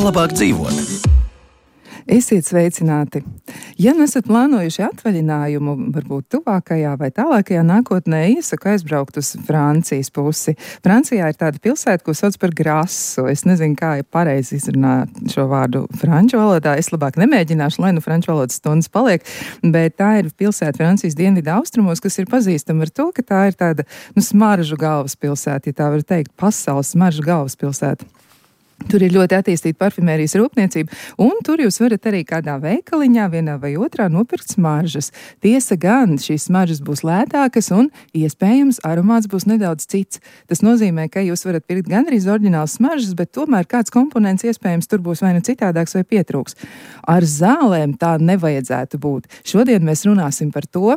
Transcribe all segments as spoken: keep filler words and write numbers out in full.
Kā labāk dzīvot? Esiet sveicināti! Ja nu esat plānojuši atvaļinājumu, varbūt tuvākajā vai tālākajā nākotnē, iesaku aizbraukt uz Francijas pusi. Francijā ir tāda pilsēta, ko sauc par Grasu. Es nezinu, kā ir pareizi izrunāt šo vārdu franču valodā. Es labāk nemēģināšu, lai nu franču valodas stundas paliek, bet tā ir pilsēta Francijas dienvidu austrumos, kas ir pazīstama ar to, ka tā ir tāda, nu, smaržu galvaspilsēta, ja tā var teikt, pasaules smaržu galvaspilsēta. Tur ir ļoti attīstīta parfimērijas rūpniecība, un tur jūs varat arī kādā veikaliņā, vienā vai otrā, nopirkt smaržas. Tiesa gan, šīs smaržas būs lētākas un, iespējams, aromāts būs nedaudz cits. Tas nozīmē, ka jūs varat pirkt gan arī oriģināls smaržas, bet tomēr kāds komponents iespējams tur būs vai nu citādāks vai pietrūks. Ar zālēm tā nevajadzētu būt. Šodien mēs runāsim par to,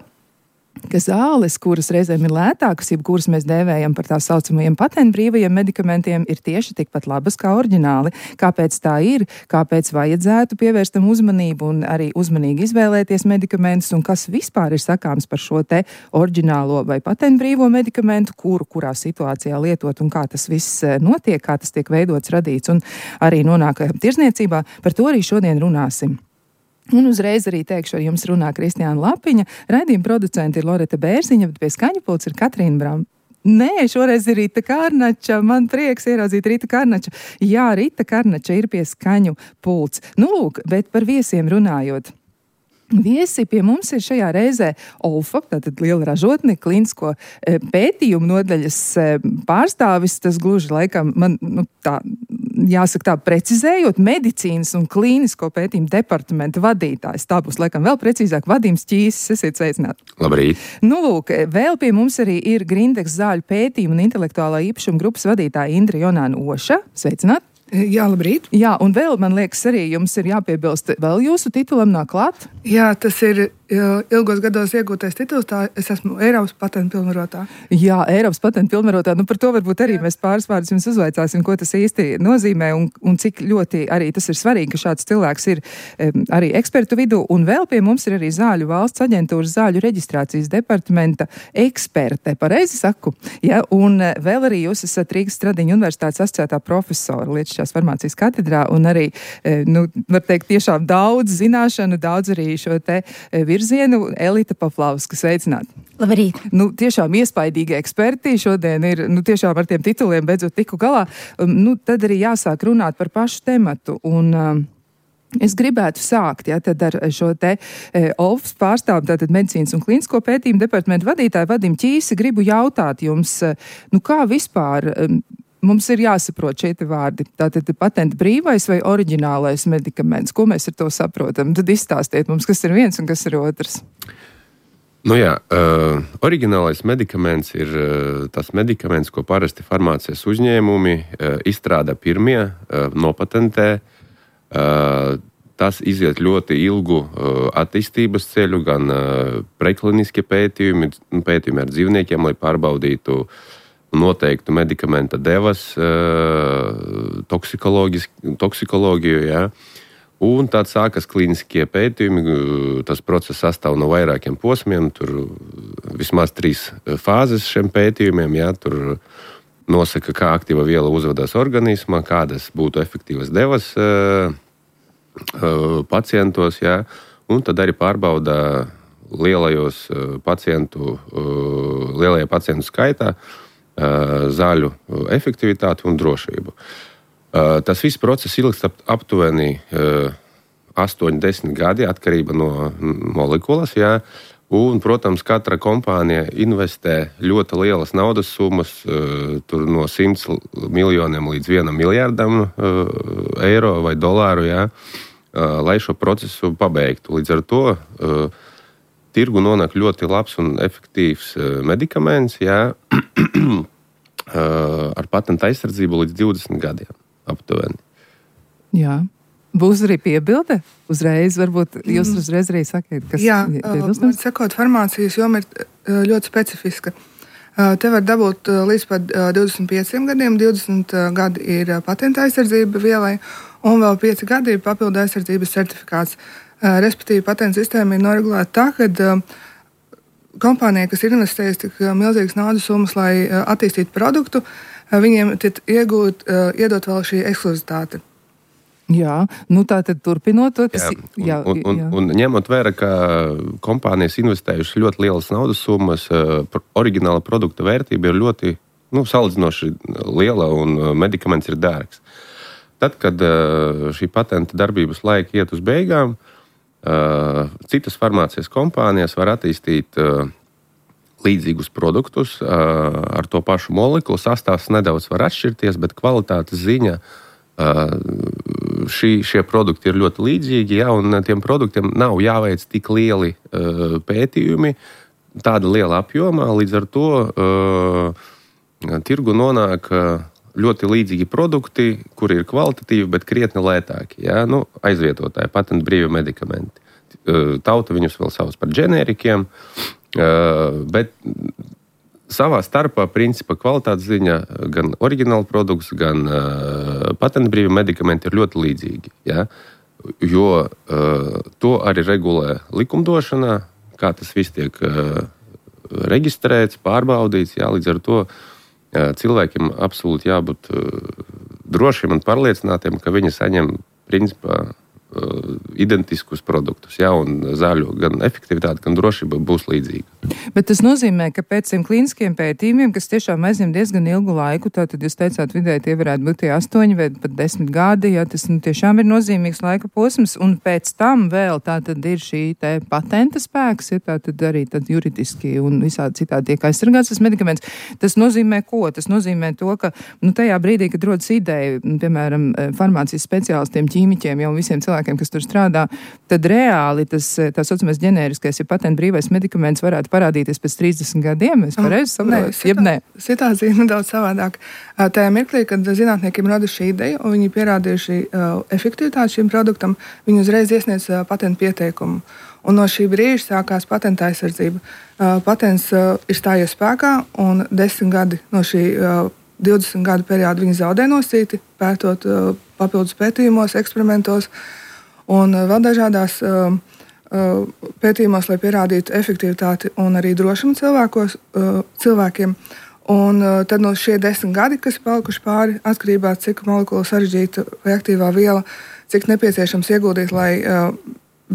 ka zāles, kuras reizēm ir lētākas, jeb kuras mēs dēvējam par tā saucamajiem patentbrīvajiem medikamentiem, ir tieši tikpat labas kā oriģināli. Kāpēc tā ir, kāpēc vajadzētu pievērst tam uzmanību un arī uzmanīgi izvēlēties medikamentus, un kas vispār ir sakāms par šo te oriģinālo vai patentbrīvo medikamentu, kuru kurā situācijā lietot un kā tas viss notiek, kā tas tiek veidots, radīts un arī nonāk tirzniecībā, par to arī šodien runāsim. Un uzreiz arī teikšu, ar jums runā Kristiāna Lapiņa, raidījuma producenti ir Loreta Bērziņa, bet pie skaņu pults ir Katrīna Bram. Nē, šoreiz ir Rita Kārnača, man prieks ieraudzīt Rita Kārnača. Jā, Rita Kārnača ir pie skaņu pults. Nu lūk, bet par viesiem runājot. Viesi pie mums ir šajā reizē Olfa, tātad liela ražotne, klīnisko e, pētījumu nodaļas e, pārstāvis, tas gluži laikam, man, nu, tā, jāsaka tā, precizējot, medicīnas un klīnisko pētījumu departamenta vadītājs. Tā būs laikam vēl precīzāk, Vadīms Ķīsis, esiet sveicināti. Labrīt. Nu, lūk, vēl pie mums arī ir Grindex zāļu pētījumu un intelektuālā īpašuma grupas vadītāja Indra Jonāna Oša. Sveicināti. Jā, labrīt. Jā, un vēl, man liekas, arī jums ir jāpiebilst, vēl jūsu titulam nāk klāt? Jā, tas ir ilgos gados iegūtais tituls, tā es esmu Eiropas patentu pilnvarotā. Jā, Eiropas patentu pilnvarotā, nu par to varbūt arī Jā. Mēs pāris vārdus jums uzvaicāsim, ko tas īsti nozīmē un, un cik ļoti arī tas ir svarīgi, ka šāds cilvēks ir um, arī ekspertu vidū, un vēl pie mums ir arī Zāļu valsts aģentūras zāļu reģistrācijas departamenta eksperte, pareizi saku, ja, un vēl arī jūs esat Rīgas Stradiņu universitātes asociētā profesora lietišķās farmācijas katedrā, un arī, nu, var teikt, tiešām daudz zināšanu, daudz arī šo te virzienu. Elita Pavlovska, sveicināt. Labrīt. Nu, tiešām iespaidīgi eksperti šodien ir, nu, tiešām ar tiem tituliem beidzot tiku galā. Nu, tad arī jāsāk runāt par pašu tematu, un um, es gribētu sākt, ja, tad ar šo te e, Olfas pārstāvu, tātad medicīnas un klīnisko pētījumu departamentu vadītāju Vadim Ķīsi, gribu jautāt jums, nu, kā vispār um, mums ir jāsaprot šie te vārdi, tātad patenta brīvais vai oriģinālais medikaments, ko mēs ar to saprotam? Tad izstāstiet mums, kas ir viens un kas ir otrs. Nu jā, uh, oriģinālais medikaments ir uh, tas medikaments, ko parasti farmācijas uzņēmumi uh, izstrādā pirmie, uh, nopatentē. Uh, tas iziet ļoti ilgu uh, attīstības ceļu, gan uh, prekliniski pētījumi, pētījumi ar dzīvniekiem, lai pārbaudītu noteiktu medikamenta devas, uh, toksikoloģiju, jā. Un tad sākas klīniskie pētījumi, tas process sastāv no vairākiem posmiem, tur vismaz trīs fāzes šiem pētījumiem, jā, tur nosaka, kā aktīva viela uzvedās organismā, kādas būtu efektīvas devas uh, uh, pacientos, jā, un tad arī pārbauda lielajos uh, pacientu, uh, lielajā pacientu skaitā uh, zāļu efektivitāti un drošību. Uh, tas viss process ilgst ap, aptuveni uh, astoņi līdz desmit gadi, atkarība no molekulas, jā. Un, protams, katra kompānija investē ļoti lielas naudas summas, uh, tur no simts miljoniem līdz vienam miljardam uh, eiro vai dolāru, jā, uh, lai šo procesu pabeigtu. Līdz ar to uh, tirgu nonāk ļoti labs un efektīvs uh, medikaments, jā, uh, ar patenta aizsardzību līdz divdesmit gadiem. Aptuveni. Jā. Būs arī piebilde? Uzreiz, varbūt jūs uzreiz arī sakiet, kas Jā, piebilstams? Jā, sakot, farmācijas joma ir ļoti specifiska. Te var dabūt līdz pat divdesmit pieciem gadiem, divdesmit gadi ir patenta aizsardzība vielai, un vēl pieci gadi ir papildu aizsardzības certifikāts. Respektīvi, patenta sistēma ir noregulēta tā, ka kompānija, kas ir investējusi tik milzīgas naudas summas, lai attīstītu produktu, viņiem iegūt, iedot vēl šī ekskluzivitāte. Jā, nu tā tad turpinot to, tas... Jā, un, un, un, un ņemot vērā, ka kompānijas investējušas ļoti lielas naudas summas, oriģināla produkta vērtība ir ļoti, nu, salīdzinoši liela un medikaments ir dārgs. Tad, kad šī patenta darbības laika iet uz beigām, citas farmācijas kompānijas var attīstīt līdzīgus produktus ar to pašu molekulu. Sastāvs nedaudz var atšķirties, bet kvalitātes ziņa šī, šie produkti ir ļoti līdzīgi, ja, un tiem produktiem nav jāveic tik lieli uh, pētījumi, tāda liela apjomā, līdz ar to uh, tirgu nonāk uh, ļoti līdzīgi produkti, kuri ir kvalitatīvi, bet krietni lētāki. Ja, nu, aizvietotāji, patentu brīvi medikamenti. Uh, tauta viņus vēl sauc par ģenērikiem, uh, bet savā starpā, principā, kvalitātes ziņā gan oriģināla produkts, gan uh, patentbrīvi medikamenti ir ļoti līdzīgi. Ja? Jo uh, to arī regulē likumdošanā, kā tas viss tiek uh, reģistrēts, pārbaudīts. Ja? Līdz ar to uh, cilvēkiem absolūti jābūt uh, drošiem un pārliecinātiem, ka viņi saņem, principā, identiskus produktus, ja, un zāļu gan efektivitāte, gan drošība būs līdzīga. Bet tas nozīmē, ka pēc tiem klīniskiem pētījumiem, kas tiešām aizņem diezgan ilgu laiku, tātad jūs teicāt, vidēji tie varētu būt tie astoņi vai pat desmit gadi, ja tas nu, tiešām ir nozīmīgs laika posms, un pēc tam vēl tātad ir šī te patenta spēks, ja tātad arī tad juridiski un visādi citādi tiek aizsargāts tas medikaments. Tas nozīmē ko? Tas nozīmē to, ka nu, tajā brīdī, kad rodas ideja, piemēram, farmācijas speciālistiem, ķīmiķiem, jau visiem cilvēkiem, kas tur strādā, tad reāli tas tā saucamais ģenēriskais, ja patentu brīvais medikaments varētu parādīties pēc trīsdesmit gadiem. Es pareizi saprotu? Jeb nē. Situācija ir nedaudz savādāk. Tajā mirklī, kad zinātniekiem rada šī ideja un viņi pierādījuši uh, efektivitāti šim produktam, viņi uzreiz iesniedz uh, patentu pieteikumu. Un no šī brīža sākās patenta aizsardzība. Uh, patents uh, ir stājies spēkā un desmit gadi no šī uh, divdesmit gadu perioda viņi zaudē nosīti, pētot uh, papildus pētījumos, eksperimentos un vēl dažādās uh, uh, pētījumos, lai pierādītu efektivitāti un arī drošumu cilvēkos, uh, cilvēkiem. Un uh, tad no šie desmit gadi, kas palikuši pāri, atkarībā cik molekula sarežģīta vai aktīvā viela, cik nepieciešams ieguldīt, lai uh,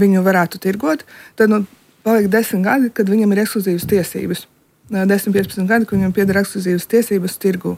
viņu varētu tirgot, tad nu, paliek desmit gadi, kad viņam ir ekskluzīvas tiesības. Uh, desmit piecpadsmit gadi, kad viņam pieder ekskluzīvas tiesības tirgu.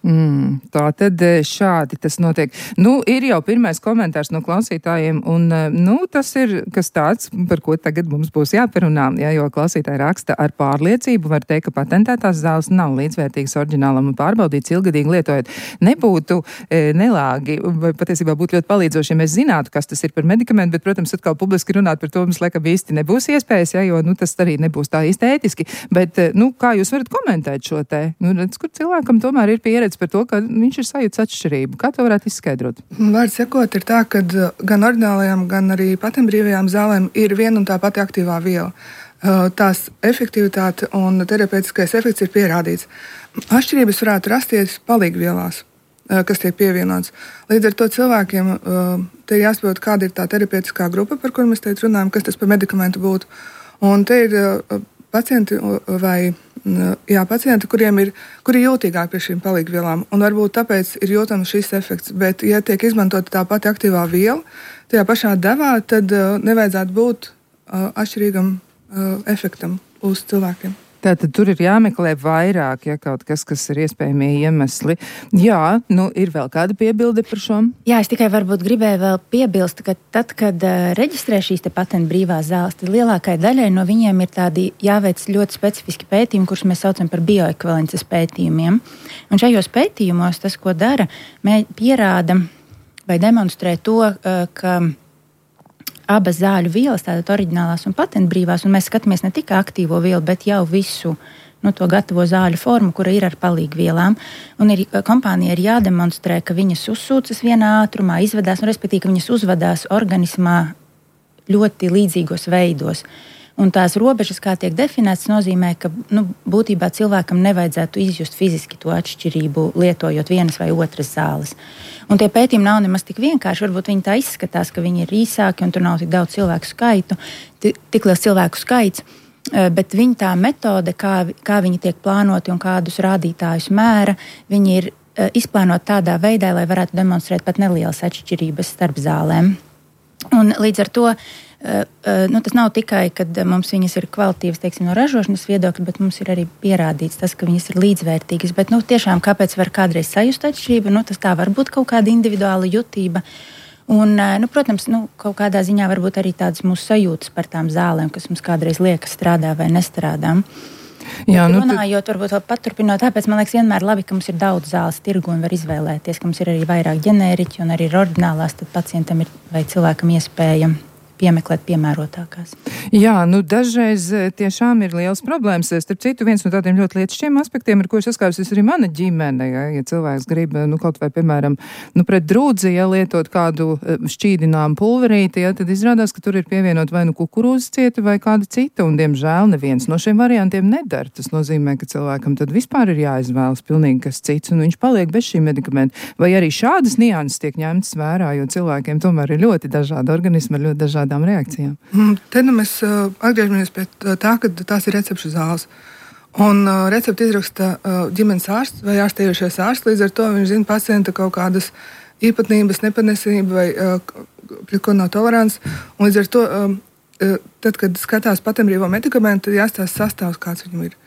Mm, tā tad šādi tas notiek. Nu, ir jau pirmais komentārs no klausītājiem, un, nu, tas ir kas tāds, par ko tagad mums būs jāparunā, ja, jo klausītāji raksta ar pārliecību, var teikt, ka patentētās zāles nav līdzvērtīgas oriģinālam un pārbaudīts ilgadīgi lietojot. Nebūtu e, nelāgi, vai patiesībā būtu ļoti palīdzoši, ja mēs zinātu, kas tas ir par medikamentu, bet, protams, atkal publiski runāt par to mums, laikam, īsti nebūs iespējas, ja, jo, nu, tas arī nebūs tā īsti ētiski, bet, nu, kā jūs varat komentēt šo te? Nu, redz, kur cilvēkam tomēr ir pieredze par to, ka viņš ir sajūts atšķirību. Kā to varētu izskaidrot? Vārds sakot, ir tā, ka gan oriģinālajām, gan arī patentbrīvajām zālēm ir viena un tā pati aktīvā viela. Tās efektivitāte un terapeitiskais efekts ir pierādīts. Atšķirības varētu rasties palīgvielās, kas tiek pievienots. Līdz ar to cilvēkiem te ir jāsaprot, kāda ir tā terapeitiskā grupa, par kuru mēs teikt runājam, kas tas par medikamentu būtu. Un te ir pacienti vai jā, pacienti, kuriem ir, kuri ir jūtīgāki pie šīm palīgvielām, un varbūt tāpēc ir jūtams šis efekts. Bet, ja tiek izmantota tā pati aktīvā viela, tajā pašā devā, tad uh, nevajadzētu būt uh, atšķirīgam uh, efektam uz cilvēkiem. Tātad tur ir jāmeklē vairāk, ja kaut kas, kas ir iespējami iemesli. Jā, nu ir vēl kāda piebilde par šo? Jā, es tikai varbūt gribēju vēl piebilst, ka tad, kad uh, reģistrē šīs te patentu brīvās zāles, tad lielākai daļai no viņiem ir tādi jāveic ļoti specifiski pētījumi, kurus mēs saucam par bioekvivalences pētījumiem. Un šajos pētījumos tas, ko dara, mē, pierāda vai demonstrē to, uh, ka abas zāļu vielas, tātad oriģinālās un patentbrīvās, un mēs skatāmies ne tikai aktīvo vielu, bet jau visu nu, to gatavo zāļu formu, kura ir ar palīgvielām. Un ir, kompānija ir jādemonstrē, ka viņas uzsūcas vienā ātrumā, izvedās, un respektīvi, ka viņas uzvedās organismā ļoti līdzīgos veidos. Un tās robežas, kā tiek definētas, nozīmē, ka nu, būtībā cilvēkam nevajadzētu izjust fiziski to atšķirību, lietojot vienas vai otras zāles. Un tie pētījumi nav nemaz tik vienkārši. Varbūt viņi tā izskatās, ka viņi ir īsāki un tur nav tik daudz cilvēku skaitu, tik liels cilvēku skaits, bet viņa tā metode, kā, kā viņi tiek plānoti un kādus rādītājus mēra, viņi ir izplānot tādā veidā, lai varētu demonstrēt pat nelielas atšķirības starp zālēm. Un līdz ar to nu, tas nav tikai, kad mums viņas ir kvalitīvas, teiksim, no ražošanas viedokļa, bet mums ir arī pierādīts tas, ka viņas ir līdzvērtīgas. Bet nu, tiešām kāpēc var kādreiz sajust atšķirību? Nu, tas tā var būt kaut kāda individuāla jutība. Un, nu, protams, nu, kaut kādā ziņā varbūt arī tādas mūsu sajūtas par tām zālēm, kas mums kādreiz liekas strādā vai nestrādā. Jā, nu, runājot, varbūt vēl paturpinot, tāpēc man liekas vienmēr labi, ka mums ir daudz zāles tirgu un var izvēlēties, ka mums ir arī vairāk ģenēriķi un arī ir oriģinālās, tad pacientam ir vai cilvēkam iespēja piemeklēt piemērotākās. Jā, nu dažreiz tiešām ir liels problēmas. Starp citu, viens no tādiem ļoti lietišķiem aspektiem, ar ko saskārusies arī mana ģimene, ja, ja cilvēks grib, nu, kaut vai, piemēram, nu, pret drūdzi, ja lietot kādu šķīdinām pulverīti, ja, tad izrādās, ka tur ir pievienot vai nu kukurūzas cieta vai kāda cita, un, diemžēl, neviens no šiem variantiem nedara. Tas nozīmē, ka cilvēkam tad vispār ir jāizvēlas pilnīgi kas cits, un viņš paliek bez šī medikamenta. Vai arī šādas nianses tiek ņemtas vērā, jo cilvēkiem tomēr ir ļoti dažādi organismi, ar ļoti dažādi reakcijām. Te nu mēs uh, atgriežamies pie tā, ka tās ir recepšu zāles. Un uh, recepti izraksta uh, ģimenes ārsts vai ārstējošais ārsts, līdz ar to viņš zina pacienta kaut kādas īpatnības, nepanesība vai uh, pret ko nav tolerants. Un līdz ar to, um, uh, tad, kad skatās patenbrīvo medikamentu, tad jāstās sastāvs, kāds viņam ir.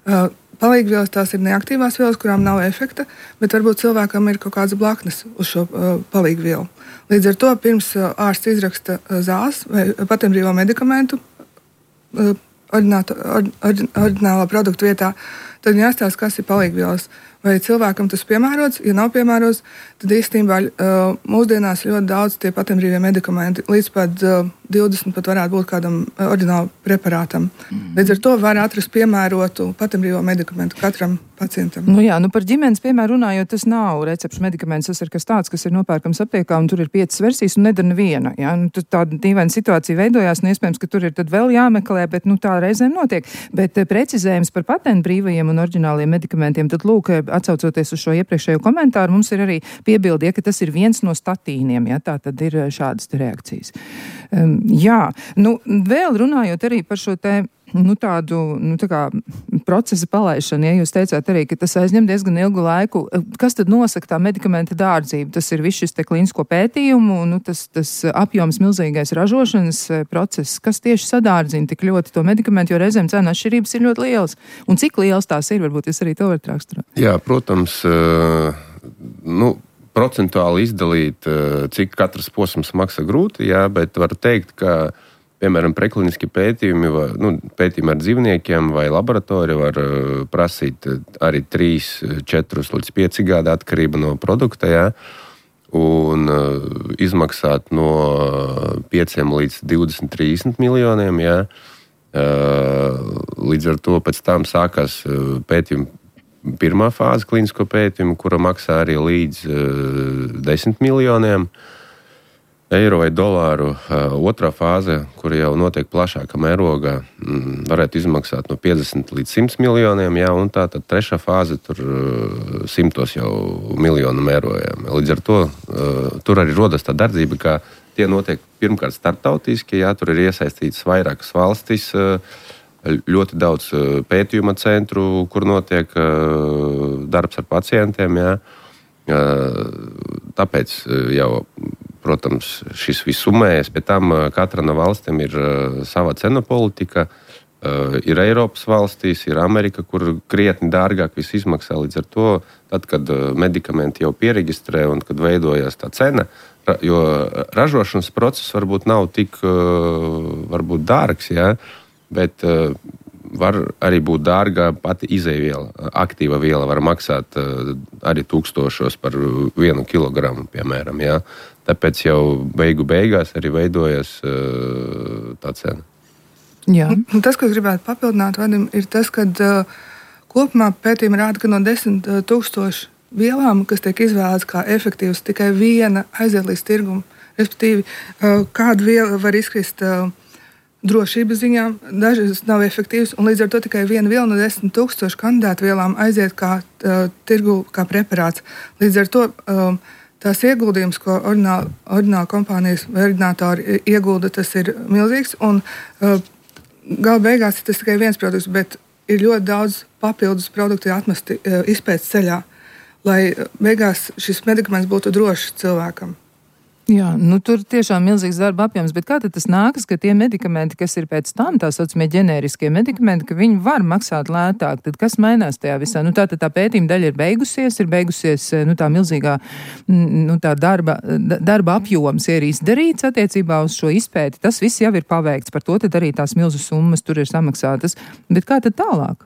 Uh, Palīgvielas tās ir neaktīvās vielas, kurām nav efekta, bet varbūt cilvēkam ir kaut kāds blaknes uz šo uh, palīgvielu. Līdz ar to pirms uh, ārsts izraksta uh, zāles vai patenbrīvo medikamentu uh, oriģinālā produktu vietā, tad jāstāsta, kas ir palīgvielas. Vai cilvēkam tas piemērots? Ja nav piemērots, tad īstenībā uh, mūsdienās ļoti daudz tie patenbrīvie medikamenti, līdz pat uh, divdesmit pat varētu būt kādam uh, oriģinālam preparātam. Mm. Līdz ar to var atrast piemērotu patenbrīvo medikamentu katram pacientam. Nu jā, nu par ģimenes piemēru runājot, tas nav recepšu medikaments, tas ir kas tāds, kas ir nopērkams aptiekā, un tur ir piecas versijas, un nedara neviena. Ja? Nu, tāda dīvaina situācija veidojās, un iespējams, ka tur ir tad vēl jāmeklē, bet nu, tā reizēm notiek. Bet precizējums par patentbrīvajiem un oriģināliem medikamentiem, tad lūk, atsaucoties uz šo iepriekšējo komentāru, mums ir arī piebildi, ja, ka tas ir viens no statīniem, ja, tā tad ir šādas reakcijas. Um, jā, nu vēl runājot arī par šo te nu, tādu nu, tā kā procesa palaišanu, ja jūs teicāt arī, ka tas aizņem diezgan ilgu laiku. Kas tad nosaka tā medikamenta dārdzību? Tas ir viss šis te klīnisko pētījumu, nu, tas, tas apjoms milzīgais ražošanas process, kas tieši sadārdzina tik ļoti to medikamentu, jo reizēm cena atšķirības ir ļoti lielas. Un cik lielas tās ir? Varbūt jūs arī to varat raksturot. Jā, protams, nu, procentuāli izdalīt, cik katrs posms maksā grūti, jā, bet var teikt, ka piemēram, prekliniski pētījumi, vai, nu, pētījumi ar dzīvniekiem vai laboratorija var uh, prasīt arī trīs, četrus līdz pieci gadi atkarība no produkta, jā, un uh, izmaksāt no pieciem līdz divdesmit, trīsdesmit miljoniem, jā. Uh, līdz ar to pēc tam sākās uh, pētījumi pirmā fāze klinisko pētījumu, kura maksā arī līdz uh, desmit miljoniem eiro vai dolāru. Otrā fāze, kur jau notiek plašāka mērogā, varētu izmaksāt no piecdesmit līdz simt miljoniem, jā, un tā tad trešā fāze tur simtos jau miljonu mērojām. Līdz ar to tur arī rodas tā dardzība, ka tie notiek pirmkārt starptautiski, jā, tur ir iesaistīts vairākas valstis, ļoti daudz pētījuma centru, kur notiek darbs ar pacientiem, jā. Tāpēc jau, protams, šis viss summējas, pēc tam katra no valstīm ir sava cenu politika, ir Eiropas valstīs, ir Amerika, kur krietni dārgāk viss izmaksā. Līdz ar to, tad, kad medikamenti jau pieregistrē un kad veidojas tā cena, jo ražošanas process varbūt nav tik varbūt dārgs, jā, bet var arī būt dārga pati izejviela. Aktīva viela var maksāt arī tūkstošos par vienu kilogramu, piemēram, jā. Tāpēc jau beigu beigās arī veidojas uh, tā cena. Jā. Un tas, ko gribētu papildināt, Vadim, ir tas, ka uh, kopumā pētījumi rāda, ka no desmit tūkstošu vielām, kas tiek izvēlētas kā efektīvas, tikai viena aiziet līdz tirgumu. Respektīvi, uh, kāda viela var izkrist uh, drošības ziņā, dažas nav efektīvas, un līdz ar to tikai viena viela no desmit tūkstošu kandidātu vielām aiziet kā uh, tirgu, kā preparāts. Līdz ar to um, tās ieguldījums, ko oriģināla, oriģināla kompānijas vai oriģinātori iegulda, tas ir milzīgs. Un uh, gala beigās tas tikai viens produkts, bet ir ļoti daudz papildus produktu atmesti uh, izpētes ceļā. lai beigās šis medikaments būtu drošs cilvēkam. Jā, nu tur tiešām milzīgs darba apjoms, bet kā tad tas nākas, ka tie medikamenti, kas ir pēc tam, tā saucamie ģenēriskie medikamenti, ka viņi var maksāt lētāk, tad kas mainās tajā visā? Nu tā tad tā pētījuma daļa ir beigusies, ir beigusies, nu tā milzīgā, nu tā darba, darba apjoms ir izdarīts attiecībā uz šo izpēti, tas viss jau ir paveikts, par to tad arī tās milzu summas tur ir samaksātas, bet kā tad tālāk?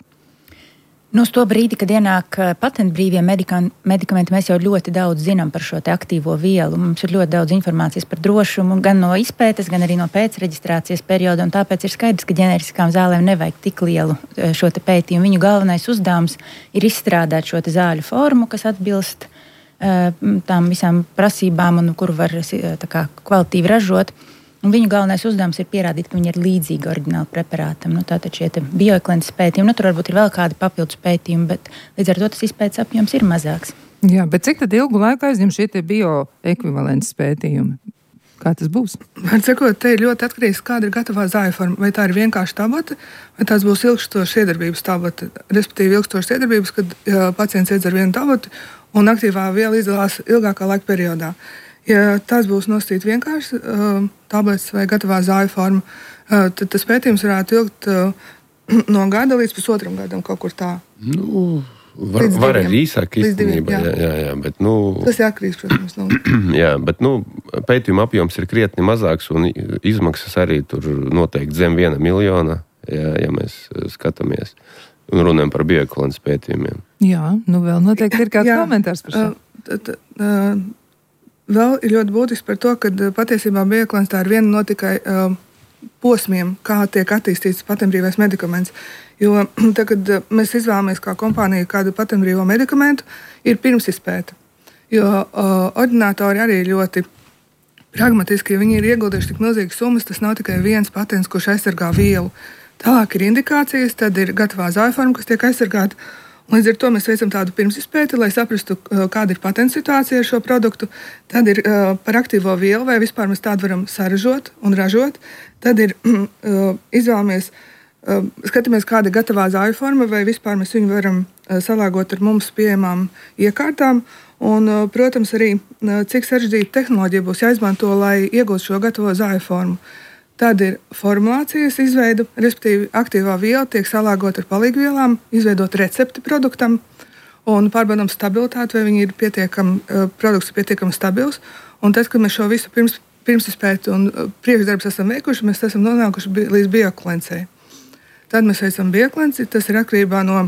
Nu, uz to brīdi, kad ienāk patentbrīvie medikamenti, mēs jau ļoti daudz zinām par šo te aktīvo vielu. Mums ir ļoti daudz informācijas par drošumu, gan no izpētes, gan arī no pēcreģistrācijas perioda, un tāpēc ir skaidrs, ka ģeneriskām zālēm nevajag tik lielu šo te pētījumu. Viņu galvenais uzdevums ir izstrādāt šo te zāļu formu, kas atbilst uh, tām visām prasībām un kuru var tā kā kvalitīvi ražot. Un viņu galvenais uzdevums ir pierādīt, ka viņi ir līdzīgi oriģināli preparātam. Nu, tātad šie bioekvivalences pētījumi, nu, tur varbūt ir vēl kādi papildus pētījumi, bet līdz ar to tas izpētes apjoms ir mazāks. Jā, bet cik tad ilgu laiku aizņem šie bioekvivalences pētījumi? Kā tas būs? Var sakot, te ir ļoti atkarīgs, kāda ir gatavā zāļu forma. Vai tā ir vienkārši tablete, vai tās būs ilgstošas iedarbības tablete. Respektīvi ilgstošas iedarbības, kad ja, pacients iedzer vienu tableti un aktīvā viela izdalās ilgākā laika periodā. Ja tas būs nosīt vienkārši uh, tabletes vai gatavā zāļu forma, uh, tad tas pētījums varētu ilgt uh, no gada līdz pusotram gadam kaut kur tā. Nu, var, var arī īsāk īstenībā. Jā. Jā, jā, bet, nu, tas ir atkarīgs, protams. No. Jā, bet nu, pētījuma apjoms ir krietni mazāks un izmaksas arī tur noteikti zem viena miljona, jā, ja mēs skatāmies un runājam par bioekvivalences pētījumiem. Jā, nu vēl noteikti ir kāds jā, komentārs par šo. Uh, t, t, uh, Vēl ir ļoti būtiski par to, ka patiesībā bioekvivalence tā ir viena no tikai uh, posmiem, kā tiek attīstīts patentbrīvais medikaments. Jo tad, kad mēs izvēlamies kā kompānija kādu patentbrīvo medikamentu, ir pirmsizpēte. Jo uh, ordinātori arī ļoti pragmatiski, ja viņi ir ieguldījuši tik milzīgas summas, tas nav tikai viens patents, kurš aizsargā vielu. Tālāk ir indikācijas, tad ir gatavā zāļu forma, kas tiek aizsargāta. Līdz ar to mēs veicam tādu pirmsizpēti, lai saprastu, kāda ir patenta situācija ar šo produktu. Tad ir uh, par aktīvo vielu, vai vispār mēs tādu varam saražot un ražot. Tad ir uh, izvēlamies, uh, skatāmies, kāda ir gatavā zāļu forma, vai vispār mēs viņu varam uh, salāgot ar mums pieejamām iekārtām. Un, uh, protams, arī uh, cik sarežģīta tehnoloģija būs jāizmanto, lai iegūtu šo gatavo zāļu formu. Tad ir formulācijas izveida, respektīvi aktīvā viela tiek salāgota ar palīgvielām, izveidot recepti produktam un pārbaudām stabilitāti, vai viņi ir pietiekami, produkts ir pietiekami stabils. Un tad, kad mēs šo visu pirms, pirmsizpēti un priekšdarbus esam veikuši, mēs esam nonākuši bi, līdz bioekvivalenцei. Tad mēs veicam bioekvivalenci, tas ir atkarībā no,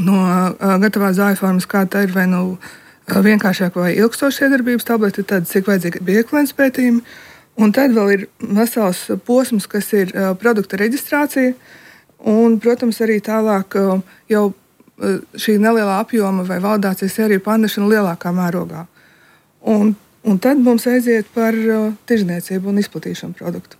no uh, gatavās zāļu formas, kā tā ir, vai nu uh, vienkāršāk vai ilgstošas iedarbības tableti, tad cik vajadzīgi bioekvivalences pētījumi. Un tad vēl ir vesels posms, kas ir uh, produkta reģistrācija, un, protams, arī tālāk uh, jau uh, šī nelielā apjoma vai validācijas sērija pārnešana lielākā mērogā. Un, un tad mums aiziet par uh, tirdzniecību un izplatīšanu produktu.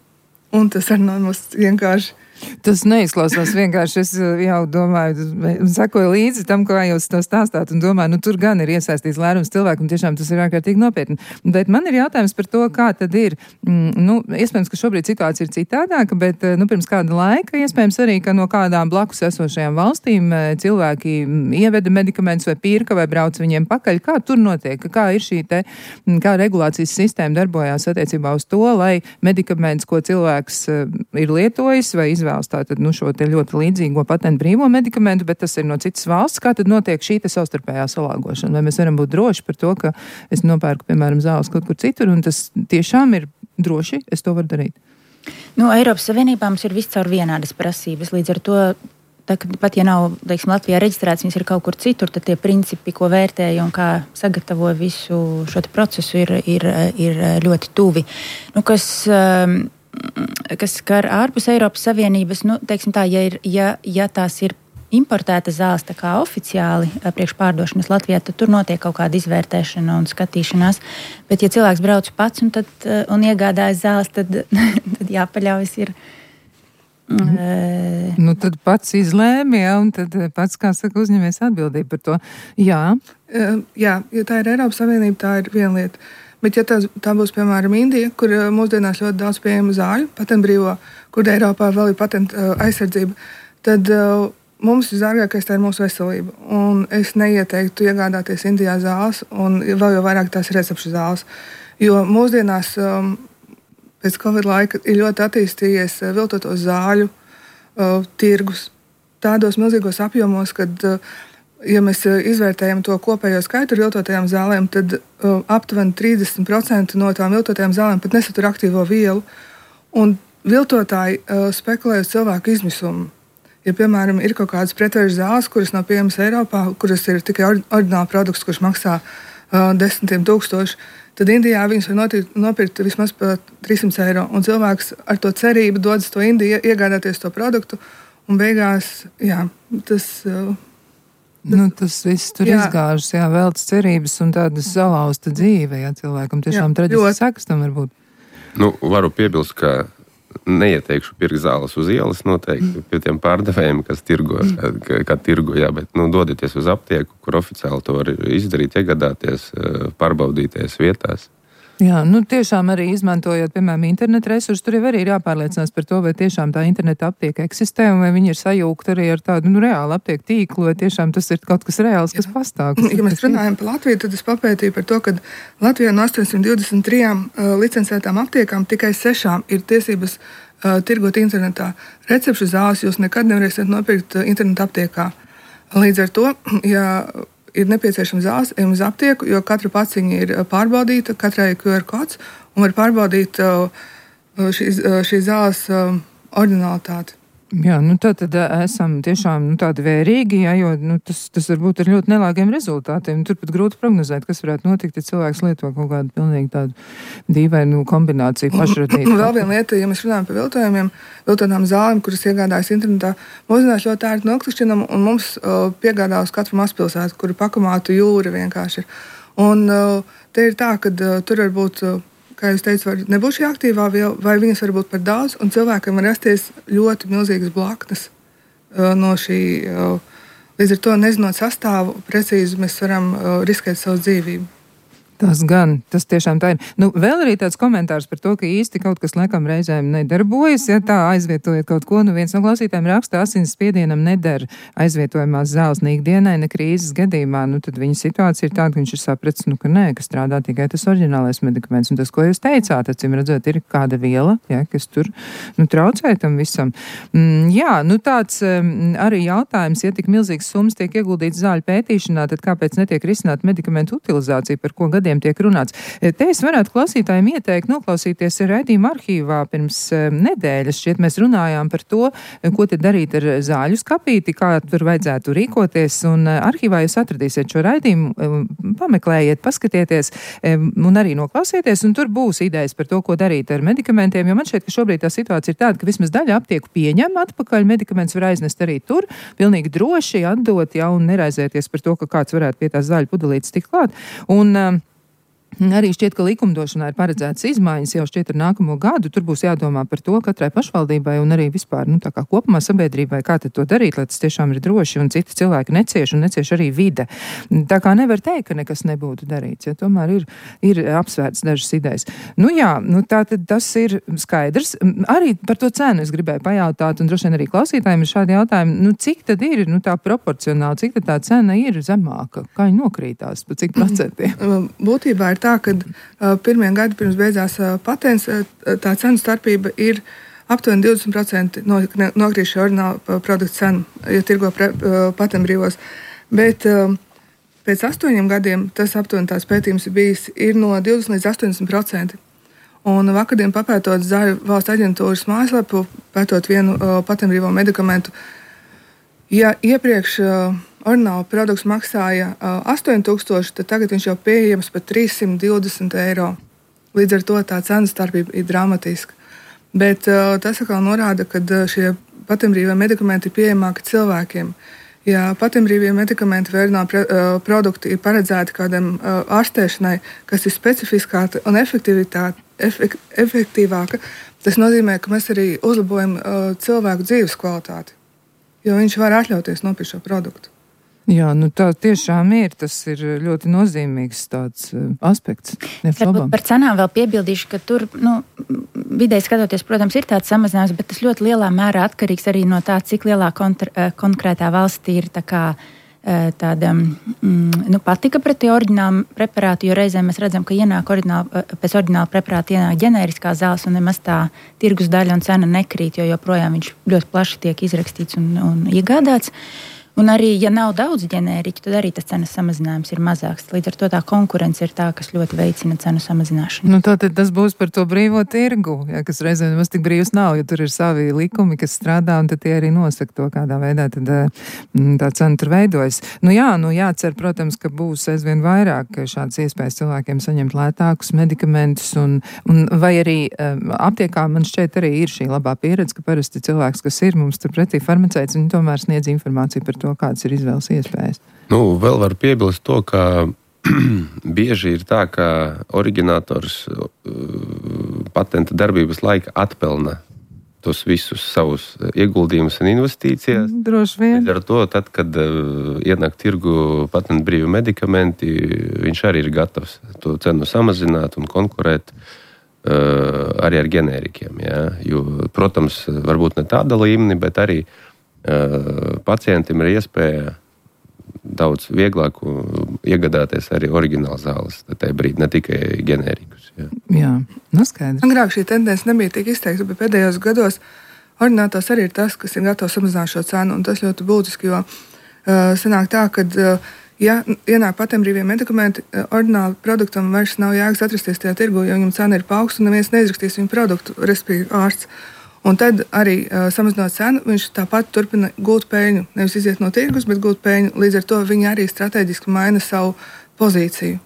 Un tas arī nav mums vienkārši. Tas neizklausās vienkārši. Es jau domāju, sekoju līdzi tam, kā jūs to stāstāt, un domāju, nu tur gan ir iesaistīts lērums cilvēku, un tiešām tas ir ārkārtīgi nopietni. Bet man ir jautājums par to, kā tad ir. Nu, iespējams, ka šobrīd situācija ir citādāka, bet nu, pirms kāda laika, iespējams arī, ka no kādām blakus esošajām valstīm cilvēki ieveda medikamentus vai pirka vai brauc viņiem pakaļ. Kā tur notiek? Kā ir šī te, kā regulācijas sistēma darbojās attiecībā uz to, lai medikaments, ko cilvēks ir lietojis vai izvēlējis, tātad nu, šo te ļoti līdzīgo patentu brīvo medikamentu, bet tas ir no citas valsts. Kā tad notiek šī te savstarpējā salāgošana? Vai mēs varam būt droši par to, ka es nopērku, piemēram, zāles kaut kur citur, un tas tiešām ir droši, es to varu darīt? Nu, Eiropas Savienībā mums ir viscaur vienādas prasības. Līdz ar to, tā, pat ja nav, teiksim, Latvijā reģistrēts, viņas ir kaut kur citur, tad tie principi, ko vērtēja un kā sagatavoja visu šo te procesu, ir, ir, ir ļoti tuvi. Nu, kas... Um, kas skar ārpus Eiropas Savienības, nu, teiksim tā, ja, ir, ja, ja tās ir importēta zāles tā kā oficiāli priekš pārdošanas Latvijā, tad tur notiek kaut kāda izvērtēšana un skatīšanās. Bet, ja cilvēks brauc pats un, tad, un iegādājas zāles, tad, tad jāpaļaujas ir. Mm. Uh, nu, tad pats izlēma, ja, un tad pats, kā saka, uzņemies atbildību par to. Jā. Uh, jā, ja tā ir Eiropas Savienība, tā ir viena lieta. Bet, ja tā, tā būs, piemēram, Indija, kur mūsdienās ļoti daudz pieejama zāļu, patentbrīvo, kur Eiropā vēl ir patenta uh, aizsardzība, tad uh, mums visdārgākais tā ir mūsu veselība. Un es neieteiktu iegādāties Indijā zāles, un vēl jau vairāk tās recepšu zāles. Jo mūsdienās um, pēc Covid laika ir ļoti attīstījies viltoto zāļu uh, tirgus tādos milzīgos apjomos, kad, uh, ja mēs izvērtējam to kopējo skaitu ar viltotajām zālēm, tad uh, aptuveni trīsdesmit procenti no tām viltotajām zālēm pat nesatur aktīvo vielu. Un viltotāji uh, spekulē uz cilvēku izmisumu. Ja, piemēram, ir kaut kādas pretvēžu zāles, kuras nav pieejamas Eiropā, kuras ir tikai oriģināla produkts, kurš maksā uh, desmitiem tūkstoši, tad Indijā viņas var nopirkt, nopirkt vismaz par trīssimts eiro. Un cilvēks ar to cerību dodas to Indiju, iegādāties to produktu, un beigās, jā, tas... Uh, tas nu, tas viss tur jā. izgāžas, jā, veltas cerības un tādas salauzta dzīve, jā, cilvēkam tiešām traģiski sekas tam var būt. Nu, varu piebilst, ka neieteikšu pirkt zāles uz ielas noteikti pie tiem pārdevējiem, kas tirgo, kā, kā tirgo, jā, bet nu, dodieties uz aptieku, kur oficiāli to var izdarīt, iegādāties, pārbaudīties vietās. Jā, nu tiešām arī izmantojot, piemēram, internetu resursus, tur jau arī ir jāpārliecinās par to, vai tiešām tā interneta aptieka eksistē, un vai viņi ir sajūgti arī ar tādu, nu, reālu aptieku tīklu, vai tiešām tas ir kaut kas reāls, kas pastāv. Kas ja mēs runājam par Latviju, tad es papētīju par to, ka Latvijā no astoņsimt divdesmit trijām uh, licencētām aptiekām tikai sešām ir tiesības uh, tirgot internetā. Recepšu zāles jūs nekad nevarēsiet nopirkt uh, interneta aptiekā. Līdz ar to, ja ir nepieciešams zāles, ejam uz aptieku, jo katra paciņa ir pārbaudīta, katrai ir Q R kods, un var pārbaudīt šīs, šīs zāles oriģinālitāti. Jā, nu tā tad esam tiešām nu, tādi vērīgi, jā, jo nu, tas, tas varbūt ar ļoti nelāgiem rezultātiem. Turpat grūti prognozēt, kas varētu notikt, ja cilvēks lieto kaut kādu pilnīgi tādu dīvainu kombināciju pašradītu. Vēl viena lieta, ja mēs runājam par viltojumiem, viltotām zālēm, kuras iegādājas internetā, mūsdienās ļoti ērti noklikšķinam, un mums uh, piegādā uz katru mazpilsētu, kuru pakamātu jūra vienkārši ir. Un uh, te ir tā, ka uh, tur var būt... Uh, kā jūs teicat, var nebūt šī aktīvā viela, vai viņas var būt par daudz, un cilvēkam var rasties ļoti milzīgas blaknes uh, no šī. Uh, līdz ar to, nezinot sastāvu, precīzi mēs varam uh, riskēt savu dzīvību. Tas gan, tas tiešām tā ir. Nu, vēl arī tāds komentārs par to, ka īsti kaut kas laikam reizēm nedarbojas, ja tā aizvietojot kaut ko. Nu, viens no klausītājiem raksta, asins spiedienam neder aizvietojamās zāles ne ikdienai, ne krīzes gadījumā. Nu, tad viņa situācija ir tāda, ka viņš ir sapratis, nu, ka nē, ka strādā tikai tas oriģinālais medikaments. Un tas, ko jūs teicāt, acīm redzot, ir kāda viela, ja, kas tur nu, traucē tam visam. Mm, jā, nu tāds um, arī jautājums, ja tik milzīgas summas tiek ieguldīts zāļu pētīšanā, tad kāpēc netiek risināt medikamentu utilizāciju, par ko gadiem tiek runāts. Te es varētu klausītājiem ieteikt noklausīties raidījuma arhīvā pirms nedēļas. Šķiet mēs runājām par to, ko te darīt ar zāļu skapīti, kā tur vajadzētu rīkoties, un arhīvā jūs atradīsiet šo raidījumu, pameklējiet, paskatieties un arī noklausieties, un tur būs idejas par to, ko darīt ar medikamentiem, jo man šķiet, ka šobrīd tā situācija ir tāda, ka vismaz daļa aptieku pieņem atpakaļ, medikaments var aiznest arī tur, pilnīgi droši atdot, ja, un neraizēties par to, ka kāds varētu pie tās zāļu pudelītes tikt klāt. Un arī šķiet, ka likumdošanā ir paredzētas izmaiņas jau šķiet ar nākamo gadu. Tur būs jādomā par to katrai pašvaldībai un arī vispār, nu, tā kā kopumā sabiedrībai, kā tad to darīt, lai tas tiešām ir droši un citi cilvēki necieš un necieš arī vide. Tā kā nevar teikt, ka nekas nebūtu darīts, ja tomēr ir, ir apsvērts dažas idejas. Nu jā, nu tā tad tas ir skaidrs. Arī par to cenu es gribēju pajautāt, un droši vien arī klausītājiem ir šādi jautājumi, nu cik tad ir, nu tā proporcionāli, cik tad tā cena ir zemāka, kā viņa nokrītās, pa cik procentiem? Būtībā ir tā, ka uh, pirmie gadi pirms beidzās uh, patents, uh, tā cenu starpība ir aptuveni divdesmit procenti no, nokrīt šī oriģināla produkta cenu, ja tirgo pre, uh, patentbrīvos. Bet uh, pēc astoņiem gadiem tas aptuveni tās pētījums ir bijis ir no divdesmit līdz astoņdesmit procenti. Un vakardien papētot Zāļu valsts aģentūras mājaslapu, pētot vienu uh, patentbrīvo medikamentu, ja iepriekš uh, oriģināla produkts maksāja uh, astoņi tūkstoši, tad tagad viņš jau pieejams par trīssimt divdesmit eiro. Līdz ar to tā cenu starpība ir dramatiska. Bet uh, tas atkal norāda, ka uh, šie patentbrīvie medikamenti ir pieejamāki cilvēkiem. Ja patentbrīvie medikamenti vai oriģināla pre, uh, produkti ir paredzēti kādam uh, ārstēšanai, kas ir specifiskāka un efek, efektīvāka, tas nozīmē, ka mēs arī uzlabojam uh, cilvēku dzīves kvalitāti, jo viņš var atļauties nopirkt šo produktu. Jā, nu tā tiešām ir, tas ir ļoti nozīmīgs tāds uh, aspekts. Varbūt par cenām vēl piebildīšu, ka tur, nu, vidēji skatoties, protams, ir tāds samazinājums, bet tas ļoti lielā mērā atkarīgs arī no tā, cik lielā kontra, konkrētā valstī ir tā kā tāda mm, nu, patika pret tie oriģinālu preparātu, jo reizēm mēs redzam, ka ienāk oriģināla, pēc oriģināla preparāta ienāk ģenēriskā zāles un nemaz tā tirgus daļa un cena nekrīt, jo joprojām viņš ļoti plaši tiek izrakstīts un, un iegādāts. Un arī, ja nav daudz ģenēriķu, tad arī tas cenas samazinājums ir mazāks. Līdz ar to tā konkurence ir tā, kas ļoti veicina cenu samazināšanu. Nu, tātad tas būs par to brīvo tirgu, ja, kas reizēm nemaz tik brīvs nav, jo tur ir savi likumi, kas strādā, un tad tie arī nosaka to, kādā veidā tad, tā cena tur veidojas. Nu jā, nu jācer, protams, ka būs aizvien vairāk šādas iespējas cilvēkiem saņemt lētākus medikamentus, un, un vai arī aptiekā man šķiet arī ir šī labā pieredze, ka parasti cilvēks, kas ir mums tur pretī farmaceits, viņi tomēr sniedz informāciju par to, kādas ir izvēles iespējas. Nu, vēl var piebilst to, ka bieži ir tā, ka oriģinators uh, patenta darbības laika atpelna tos visus savus ieguldījumus un investīcijas. Droši vien. Līdz ar to, tad, kad uh, ienāk tirgu patentu brīvi medikamenti, viņš arī ir gatavs to cenu samazināt un konkurēt uh, arī ar ģenērikiem. Ja? Jo, protams, varbūt ne tāda līmeni, bet arī pacientam ir iespēja daudz vieglāk iegādāties arī oriģināla zāles tajā brīdī, ne tikai ģenērikus. Jā, jā. Nu skaidrs. Agrāk šī tendence nebija tik izteikta, bet pēdējos gados oriģinātors arī ir tas, kas ir gatavs samazināt šo cenu, un tas ļoti būtiski, jo uh, sanāk tā, ka uh, ja ienāk patenbrīvie medikamenti, uh, oriģināla produktam vairs nav jēgas atrasties tajā tirgu, jo viņam cena ir paaugsta un neviens neizrakstīs viņu produktu, respektīvi ārsts. Un tad arī uh, samazinot cenu, viņš tāpat turpina gūt peļņu. Nevis iziet no tirgus, bet gūt peļņu. Līdz ar to viņi arī strateģiski maina savu pozīciju.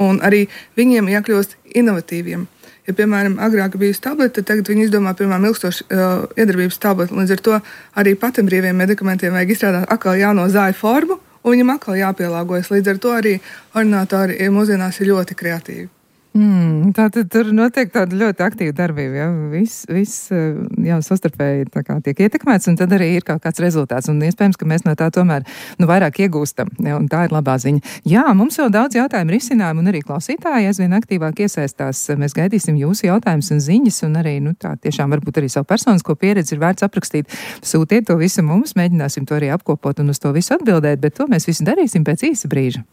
Un arī viņiem jākļūst inovatīviem. Ja, piemēram, agrāk bija tablete, tad tagad viņi izdomā, piemēram, ilgstošu uh, iedarbības tableti. Līdz ar to arī patenbrīviem medikamentiem vajag izstrādāt atkal jauno zāļu formu, un viņam atkal jāpielāgojas. Līdz ar to arī ordinātori mūsdienās ir ļoti kreatīvi. Mm, tātad tur notiek tāda ļoti aktīva darbība, ja? Viss, viss jā, sastarpēji tā kā tiek ietekmēts, un tad arī ir kaut kāds rezultāts, un iespējams, ka mēs no tā tomēr nu, vairāk iegūstam, ja? Un tā ir labā ziņa. Jā, mums vēl daudz jautājumu risinājumu, un arī klausītāji aizvien aktīvāk iesaistās. Mēs gaidīsim jūsu jautājumus un ziņas, un arī, nu tā tiešām varbūt arī savu personisko pieredzi ir vērts aprakstīt. Sūtiet to visu mums, mēģināsim to arī apkopot un uz to visu atbildēt, bet to mēs visu darīsim pēc īsa brīža.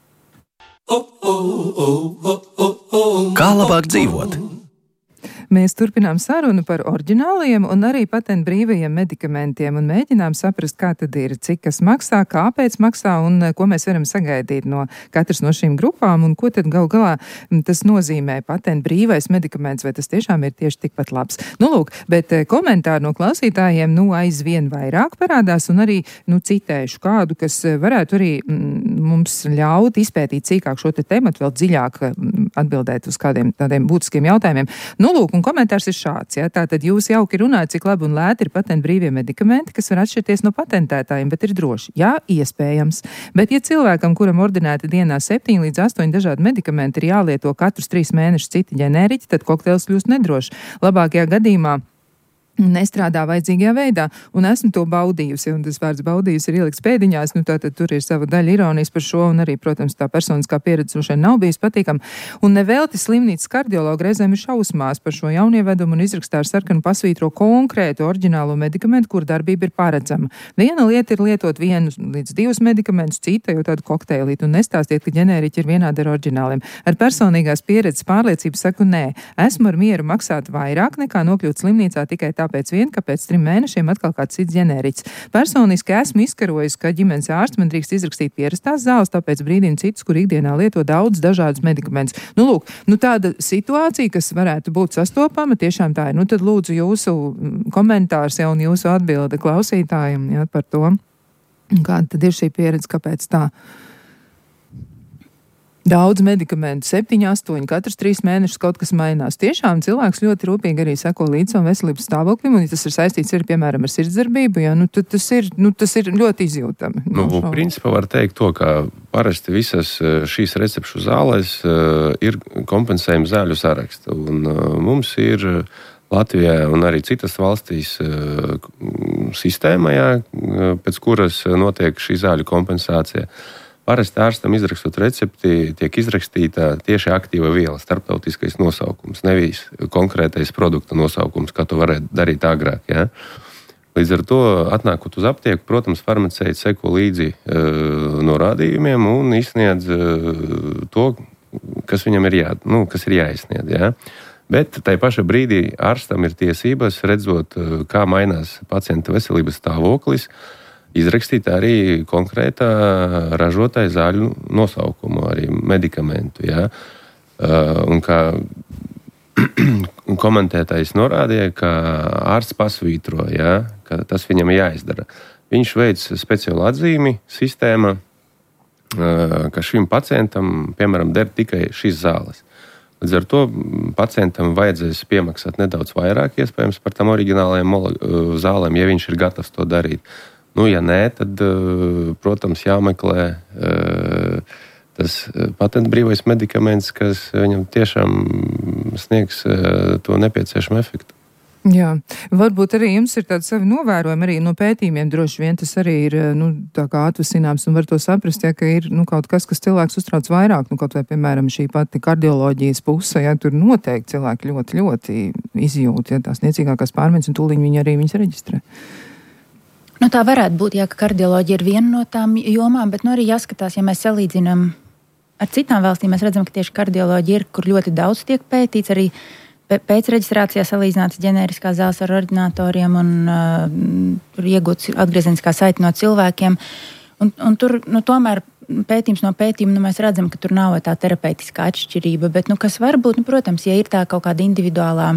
Kā labāk dzīvot? Mēs turpinām sarunu par oriģināliem un arī patentu brīvajiem medikamentiem un mēģinām saprast, kā tad ir, cik kas maksā, kāpēc maksā un ko mēs varam sagaidīt no katras no šīm grupām un ko tad gal galā tas nozīmē patentu brīvais medikaments, vai tas tiešām ir tieši tikpat labs. Nu, lūk, bet komentāri no klausītājiem nu aizvien vairāk parādās un arī, nu, citēšu kādu, kas varētu arī mm, mums ļaut izpētīt cīkāk šo te tematu, vēl dziļāk atbildēt uz kādiem tādiem būtiskiem jautājumiem. Nu, lūk, un komentārs ir šāds, ja? Tātad jūs jauki runājat, cik labi un lēti ir patentu brīvie medikamenti, kas var atšķirties no patentētājiem, bet ir droši. Jā, iespējams. Bet ja cilvēkam, kuram ordinēti dienā septiņi līdz astoņi dažādi medikamenti, ir jālieto katrus trīs mēnešus citi ģenēriķi, tad kokteils kļūst nedrošs. Labākajā gadījumā nestrādā vajadzīgajā veidā, un esmu to baudījusi, un tas vārds baudījusi ir ielikts pēdiņās, nu tātad tur ir sava daļa ironijas par šo, un arī, protams, tā personiskā pieredze šeit nav bijis patīkam, un nevelti slimnīcas kardiologi reizēm ir šausmās par šo jaunievedumu un izrakstā ar sarkanu pasvītro konkrētu oriģinālo medikamentu, kur darbība ir paredzama. Viena lieta ir lietot vienu līdz divus medikamentus, cita jau tādu kokteilītu, un nestāstiet, ka ģenēriķi ir vienādi ar oriģināliem. Ar personīgās pieredzes pārliecību saku nē, esmu ar mieru maksāt vairāk nekā nokļūt slimnīcā tikai tā tāpēc vien, ka pēc trim mēnešiem atkal kāds cits ģenēriķis. Personiski esmu izkarojis, ka ģimenes ārsts man drīkst izrakstīt pierastās zāles, tāpēc brīdina citus, kur ikdienā lieto daudz dažādus medikamentus. Nu, lūk, nu tāda situācija, kas varētu būt sastopama, tiešām tā ir. Nu, tad lūdzu jūsu komentārs jau un jūsu atbilde klausītājiem, jā, par to, kāda tad ir šī pieredze, kāpēc tā. Daudz medikamentu, septiņi, astoņi, katrs trīs mēnešus kaut kas mainās. Tiešām cilvēks ļoti rūpīgi arī seko līdz savam veselības stāvoklim, un ja tas ir saistīts arī, piemēram, ar sirdsdarbību, jā, nu, tad tas ir, nu, tas ir ļoti izjūtami. Nu, no principā var teikt to, ka parasti visas šīs recepšu zālēs uh, ir kompensējuma zāļu saraksta, un uh, mums ir Latvijā un arī citas valstīs sistēmā, jā, pēc kuras notiek šī zāļu kompensācija. Parasti ārstam izrakstot recepti, tiek izrakstīta tieši aktīva viela, starptautiskais nosaukums, nevis konkrētais produkta nosaukums, kā to varētu darīt agrāk. Ja? Līdz ar to, atnākot uz aptieku, protams, farmaceits seko līdzi uh, norādījumiem un izsniedz uh, to, kas viņam ir, jā, nu, kas ir jāizsniedz. Ja? Bet tai paša brīdī ārstam ir tiesības, redzot, kā mainās pacienta veselības stāvoklis, izrakstīt arī konkrētā ražotāja zāļu nosaukumu, arī medikamentu. Ja? Un kā komentētājs norādīja, ka ārsts pasvītro, ja? Ka tas viņam jāizdara. Viņš veic speciālu atzīmi sistēmā, ka šim pacientam, piemēram, der tikai šīs zāles. Līdz ar to pacientam vajadzēs piemaksāt nedaudz vairāk, iespējams, par tam oriģinālajiem zālēm, ja viņš ir gatavs to darīt. Nu, ja nē, tad, protams, jāmeklē tas patentbrīvais medikaments, kas viņam tiešām sniegs to nepieciešamo efektu. Jā, varbūt arī jums ir tādi savi novērojumi arī no pētījumiem, droši vien tas arī ir, nu, tā kā atvasināms un var to saprast, ja, ka ir, nu, kaut kas, kas cilvēks uztrauc vairāk, nu, kaut vai, piemēram, šī pati kardioloģijas puse, ja, tur noteikti cilvēki ļoti, ļoti izjūt, ja, tās niecīgākās pārmaiņas un tūliņ viņi arī viņas reģistrē. Nu, tā varētu būt, jā, ka kardioloģija ir viena no tām jomām, bet nu arī jāskatās, ja mēs salīdzinām ar citām valstīm, mēs redzam, ka tieši kardioloģija ir, kur ļoti daudz tiek pētīts, arī pēc reģistrācijā salīdzināts ģenēriskās zāles ar ordinatoriem un uh, tur iegūts atgriezeniskā saite no cilvēkiem. Un, un tur, nu, tomēr pētījums no pētījuma, nu, mēs redzam, ka tur nav tā terapeitiskā atšķirība, bet, nu, kas var būt, nu, protams, ja ir tā kaut kāda individuālā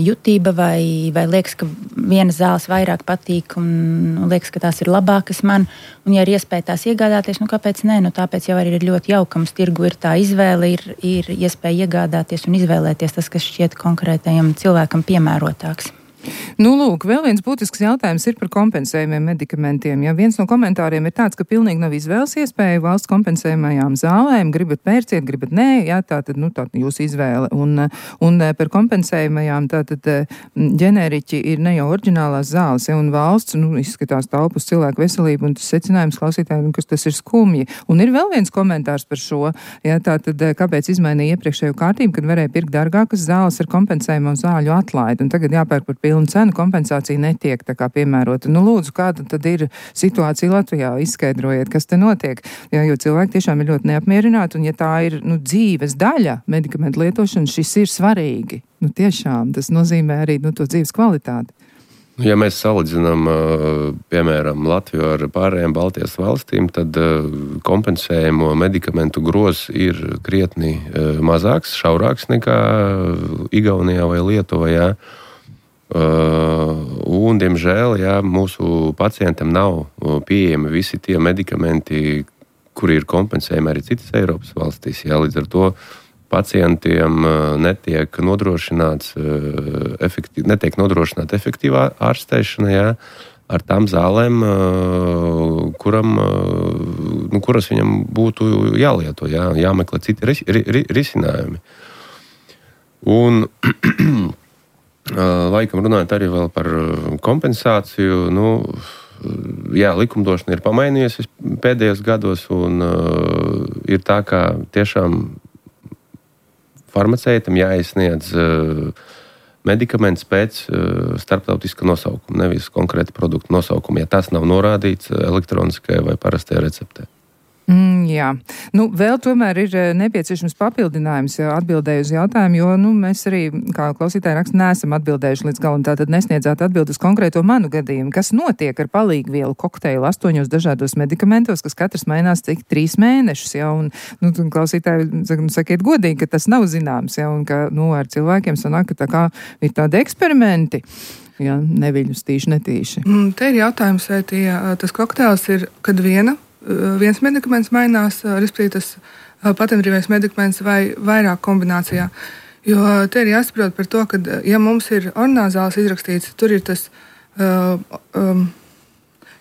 jutība vai, vai liekas, ka vienas zāles vairāk patīk un, un liekas, ka tās ir labākas man, un ja ir iespēja tās iegādāties, nu kāpēc nē, nu tāpēc jau arī ir ļoti jaukams tirgu, ir tā izvēle, ir, ir iespēja iegādāties un izvēlēties tas, kas šķiet konkrētajam cilvēkam piemērotāks. Nu, lūk, vēl viens būtisks jautājums ir par kompensējumiem medikamentiem. Ja viens no komentāriem ir tāds, ka pilnīgi nav izvēles iespēja valsts kompensējumajām zālēm, gribat pērciet, gribat nē, jā, tā tad, nu, tā jūsu izvēle. Un, un par kompensējumajām tātad ģeneriķi ir ne jau oriģinālās zāles, ja, un valsts, nu, izskatās taupu uz cilvēku veselību, un tas secinājums klausītājiem, ka tas ir skumji. Un ir vēl viens komentārs par šo, ja, tātad, kāpēc izmainīja iepriekšējo kārtību, kad varēja pirkt dārgākas zāles ar kompensējumu zāļu atlaidi, un tagad jāpērk par pilnu cenu, kompensācija netiek tā kā piemērota. Nu, lūdzu, kāda tad ir situācija Latvijā? Izskaidrojiet, kas te notiek. Jā, jo cilvēki tiešām ir ļoti neapmierināti, un ja tā ir, nu, dzīves daļa medikamentu lietošana, šis ir svarīgi. Nu, tiešām, tas nozīmē arī, nu, to dzīves kvalitāti. Ja mēs salīdzinām, piemēram, Latviju ar pārējām Baltijas valstīm, tad kompensējumu medikamentu gros ir krietni mazāks, šaurāks nekā Igaunijā vai Lietuvā. Uh, un, diemžēl, jā, mūsu pacientam nav pieejami visi tie medikamenti, kuri ir kompensējami arī citas Eiropas valstīs. Jā, līdz ar to pacientiem netiek nodrošināts uh, efektīv, netiek nodrošināta efektīvā ārstēšana, jā, ar tām zālēm, uh, kuram, uh, nu, kuras viņam būtu jālieto, jā, jāmeklē citi ris, ri, ri, risinājumi. Un laikam runājot arī vēl par kompensāciju, nu, jā, likumdošana ir pamainījusies pēdējos gados, un uh, ir tā, ka tiešām farmaceitam jāizsniedz uh, medikaments pēc uh, starptautiska nosaukuma, nevis konkrēta produkta nosaukuma, ja tas nav norādīts elektroniskajā vai parastajā receptē. Mm, jā. Nu, vēl tomēr ir nepieciešams papildinājums atbildēju uz jautājumu, jo, nu, mēs arī, kā klausītāji raksta, neesam atbildējuši līdz galam, tātad nesniedzāt atbildi uz konkrēto manu gadījumu. Kas notiek ar palīgvielu kokteili astoņos dažādos medikamentos, kas katrs mainās cik trīs mēnešus, ja, un, nu, klausītāji, sakiet godīgi, ka tas nav zināms, ja, un ka, nu, ar cilvēkiem sanāk, ka tā kā ir tādi eksperimenti. Ja, neviļus tīši, netīši. Mm, te ir jautājums, vai tie, tas kokteils ir, kad viena viens medikaments mainās, respektīvi tas patentbrīvais medikaments vai vairāk kombinācijā. Jo te ir jāsaprot par to, ka, ja mums ir ordināzāls izrakstīts, tur ir tas uh, um,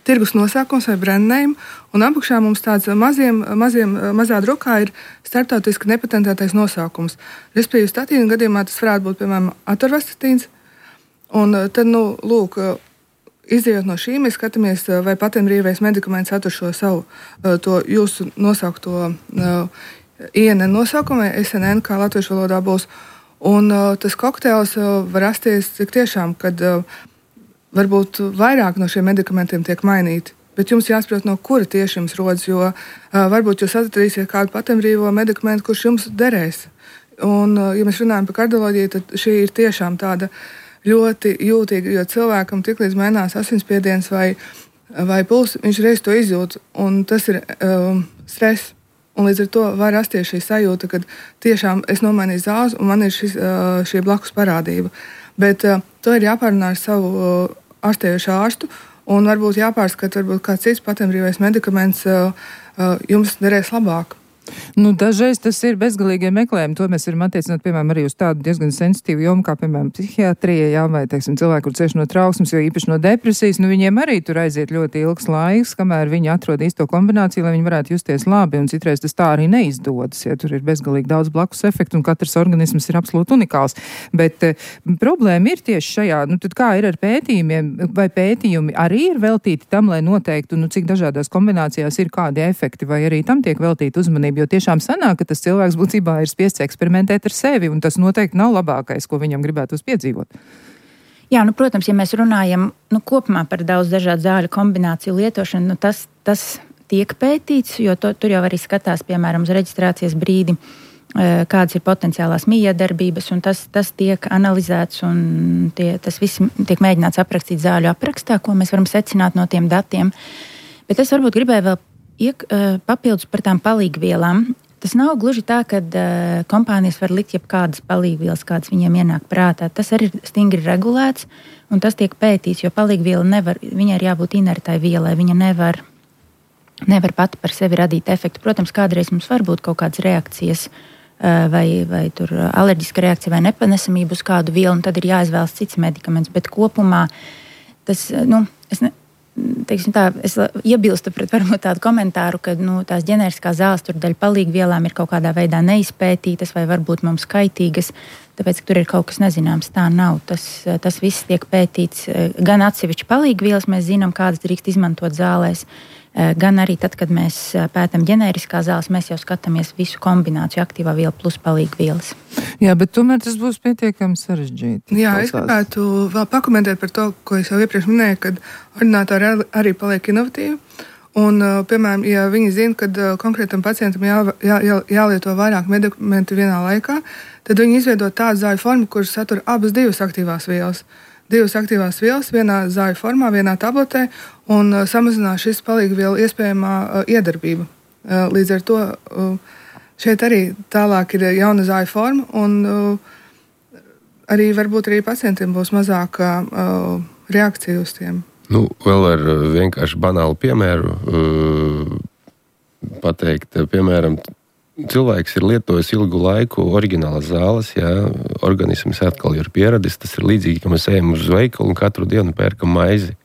tirgus nosaukums vai brand name, un apakšā mums tāds maziem, maziem, mazā drukā ir starptautiski nepatentētais nosaukums. Respektīvi, statīna gadījumā tas varētu būt, piemēram, atorvastatīns, Un tad, nu, lūk, izējot no šī, mēs skatāmies, vai patentbrīvais medikaments satur šo savu, to jūsu nosaukto I N N nosaukumu, vai S N N, kā latviešu valodā būs. Un tas kokteils var rasties tik tiešām, kad varbūt vairāk no šiem medikamentiem tiek mainīti. Bet jums jāsaprot, no kura tieši jums rodas, jo uh, varbūt jūs atradīsiet kādu patentbrīvo medikamentu, kurš jums derēs. Un, uh, ja mēs runājam par kardioloģiju, tad šī ir tiešām tāda ļoti jūtīga, jo cilvēkam tiklīdz mainās asinsspiediens vai, vai puls, viņš reiz to izjūt, un tas ir um, stress. Un līdz ar to var rasties šī sajūta, ka tiešām es nomainīju zāles, un man ir šis, uh, šī blakus parādība. Bet uh, to ir jāpārunā ar savu uh, ārstējošu ārstu, un varbūt jāpārskata, varbūt kāds cits patentbrīvais medikaments uh, uh, jums derēs labāk. Nu, dažreiz tas ir bezgalīgie meklējumi. To mēs varam attiecināt, piemēram, arī uz tādu diezgan sensitīvu jomu, kā, piemēram, psihiatrija, jā, vai, teiksim, cilvēki, kur cieši no trauksmes, jo īpaši no depresijas, nu, viņiem arī tur aiziet ļoti ilgs laiks, kamēr viņi atrod īsto kombināciju, lai viņi varētu justies labi, un citreiz tas tā arī neizdodas, ja tur ir bezgalīgi daudz blakus efektu, un katrs organisms ir absolūti unikāls. Bet eh, problēma ir tieši šajā, nu, tad kā ir ar pētījumiem, vai pētījumi arī ir veltīti tam, lai noteiktu, nu, cik dažādās kombinācijās ir kādi efekti, vai arī tam tiek veltīta uzmanība. Jo tiešām sanāk, ka tas cilvēks būtībā ir spiests eksperimentēt ar sevi, un tas noteikti nav labākais, ko viņam gribētu piedzīvot. Jā, nu, protams, ja mēs runājam nu, kopumā par daudz dažādu zāļu kombināciju lietošanu, nu, tas, tas tiek pētīts, jo to, tur jau arī skatās, piemēram, uz reģistrācijas brīdi, kādas ir potenciālās miedarbības, un tas, tas tiek analizēts, un tie, tas viss tiek mēģināts aprakstīt zāļu aprakstā, ko mēs varam secināt no tiem datiem. Bet es varbūt gribēju vēl Iek, uh, papildus par tām palīgvielām. Tas nav gluži tā, ka uh, kompānijas var likt jebkādas palīgvielas, kādas viņiem ienāk prātā. Tas arī ir stingri regulēts, un tas tiek pētīts, jo palīgviela nevar, viņai ir jābūt inertai vielai, viņa nevar, nevar pati par sevi radīt efektu. Protams, kādreiz mums var būt kaut kādas reakcijas, uh, vai, vai tur alerģiska reakcija vai nepanesamība uz kādu vielu, un tad ir jāizvēlas cits medikaments, bet kopumā tas, nu, es ne, Teiksim tā, es iebilstu pret varbūt tādu komentāru, ka nu, tās ģeneriskās zāles tur daļa palīgvielām ir kaut kādā veidā neizpētītas vai varbūt mums kaitīgas, tāpēc, ka tur ir kaut kas nezināms. Tā nav. Tas, tas viss tiek pētīts. Gan atsevišķi palīgvielas mēs zinām, kādas drīkst izmantot zālēs, gan arī tad, kad mēs pētam ģeneriskās zāles, mēs jau skatāmies visu kombināciju aktīvā viela plus palīgvielas. Jā, bet tomēr tas būs pietiekami sarežģīti. Jā, es gribētu vēl pakomentēt par to, ko es jau iepriekš minēju, kad ordinātori arī paliek inovatīvi. Un, piemēram, ja viņi zina, ka konkrētam pacientam jā, jā, jā, jālieto vairāk medikamentu vienā laikā, tad viņi izveido tādu zāļu formu, kuras satur abas divas aktīvās vielas. Divas aktīvās vielas vienā zāļu formā, vienā tabletē, un uh, samazinās šis palīgvielu iespējamā uh, iedarbība. Uh, līdz ar to uh, šeit arī tālāk ir jauna zāļu forma, un uh, arī varbūt arī pacientiem būs mazāka uh, reakcija uz tiem. Nu, vēl ar vienkārši banālu piemēru uh, pateikt, piemēram, cilvēks ir lietojis ilgu laiku oriģinālas zāles, jā, organisms atkal ir pieradis, tas ir līdzīgi, ka mēs ejam uz veikalu un katru dienu pērkam maizi.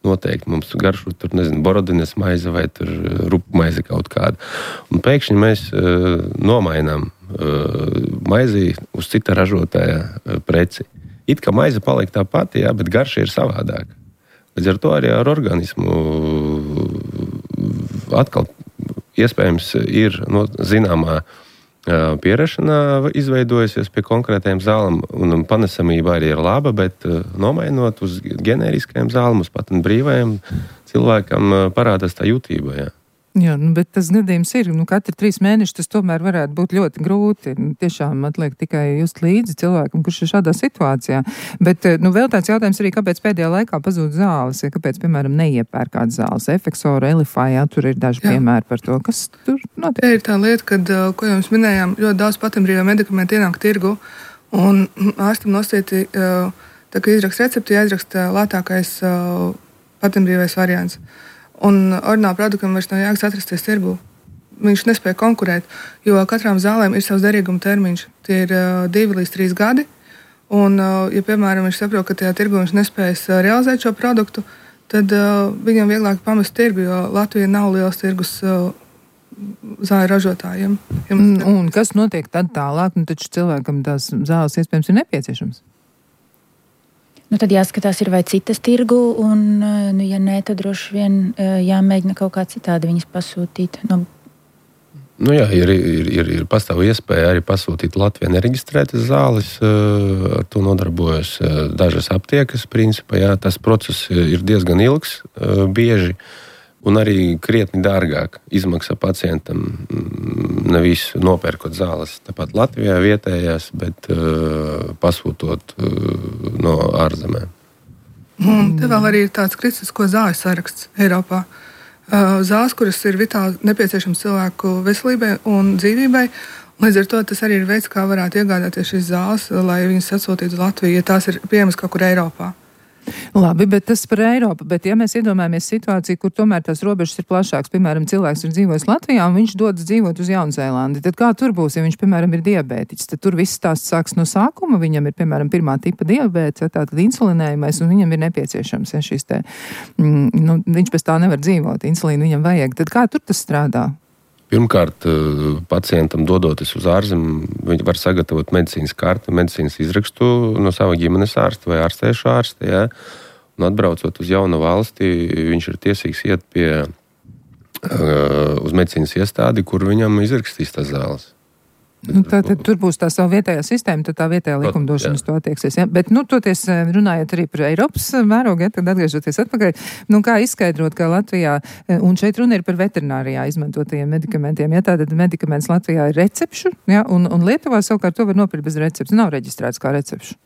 Noteikti mums garšo tur, nezinu, borodines maize vai tur rupu maize kaut kāda. Un pēkšņi mēs uh, nomainām uh, maizi uz cita ražotāja uh, preci. It kā maize paliek tā pati, jā, bet garša ir savādāka. Līdz ar to arī ar organismu atkal iespējams ir no, zināmā pierešanā izveidojusies pie konkrētajām zālēm, un panesamība arī ir laba, bet nomainot uz ģeneriskajām zālēm, uz patentbrīvajām, cilvēkam parādās tā jutība. Jā. Jā, nu, bet tas gadījums ir, nu, katri trīs mēneši tas tomēr varētu būt ļoti grūti. Tiešām atliek tikai just līdzi cilvēkam, kurš ir šādā situācijā. Bet, nu, vēl tāds jautājums arī, kāpēc pēdējā laikā pazūd zāles, ja kāpēc, piemēram, neiepērk kādas zāles, Efeksoru, Elifai, jā, tur ir daži jā. piemēri par to, kas tur notiek. Tā ir tā lieta, kad, ko jums minējām, ļoti daudz patentbrīvā medikamenti ienāk tirgu, un ārstam nosīti, tā kā izraksta recepti, jāizraksta lētākais patentbrīvais variants. Un ordināla produktam vairs nav jāgas atrasties tirgū. Viņš nespēja konkurēt, jo katrām zālēm ir savs derīguma termiņš. Tie ir uh, divi līdz trīs gadi. Un, uh, ja, piemēram, viņš saprot, ka tajā tirgū viņš nespējas uh, realizēt šo produktu, tad uh, viņam vieglāk pamest tirgu, jo Latvija nav liels tirgus uh, zāļu ražotājiem. Ja un, un kas notiek tad tālāk? Nu, taču cilvēkam tās zāles iespējams ir nepieciešams. Nu, tad jāskatās, ir vai citas tirgu, un, nu, ja nē, tad droši vien jāmēģina kaut kā citādi viņas pasūtīt. No... Nu jā, ir, ir, ir, ir pastāv iespēja arī pasūtīt Latvijā nereģistrētas zāles, ar to nodarbojas dažas aptiekas, principā, jā, tas process ir diezgan ilgs, bieži, un arī krietni dārgāk izmaksā pacientam, nevis nopērkot zāles tāpat Latvijā vietējās, bet uh, pasūtot uh, no ārzemēm. Un te vēl arī ir tāds kritisko zāļu saraksts Eiropā. Uh, zāles, kuras ir vitāli nepieciešams cilvēku veselībai un dzīvībai, līdz ar to tas arī ir veids, kā varētu iegādāties šīs zāles, lai viņas atsūtītu uz Latviju, ja tās ir pieejamas kaut kur Eiropā. Labi, bet tas par Eiropu, bet ja mēs iedomājamies situāciju, kur tomēr tās robežas ir plašākas, piemēram, cilvēks ir dzīvojis Latvijā un viņš dodas dzīvot uz Jaunzēlandi, tad kā tur būs, ja viņš, piemēram, ir diabētiķis, tad tur viss stāsts sāks no sākuma, viņam ir, piemēram, pirmā tipa diabēts, ja, tātad insulinējumais, un viņam ir nepieciešams, ja šīs te, mm, nu, viņš pēc tā nevar dzīvot, insulīnu viņam vajag, tad kā tur tas strādā? Pirmkārt, pacientam dodoties uz ārzemēm, viņi var sagatavot medicīnas karti, medicīnas izrakstu no sava ģimenes ārsta vai ārstēšu ārsta. Ja? Un atbraucot uz jaunu valsti, viņš ir tiesīgs iet pie, uz medicīnas iestādi, kur viņam izrakstīs tās zāles. Nu, tā, tad tur būs tā savu vietējā sistēma, tad tā vietējā likumdošanas to attieksies. Ja? Bet, nu, toties runājot arī par Eiropas mērogu, ja, tad atgriežoties atpakaļ, nu, kā izskaidrot, ka Latvijā, un šeit runa ir par veterinārijā izmantotajiem medikamentiem, ja tātad medikaments Latvijā ir recepšu, ja, un, un Lietuvā savukārt to var nopirkt bez recepts, nav reģistrēts kā recepšu.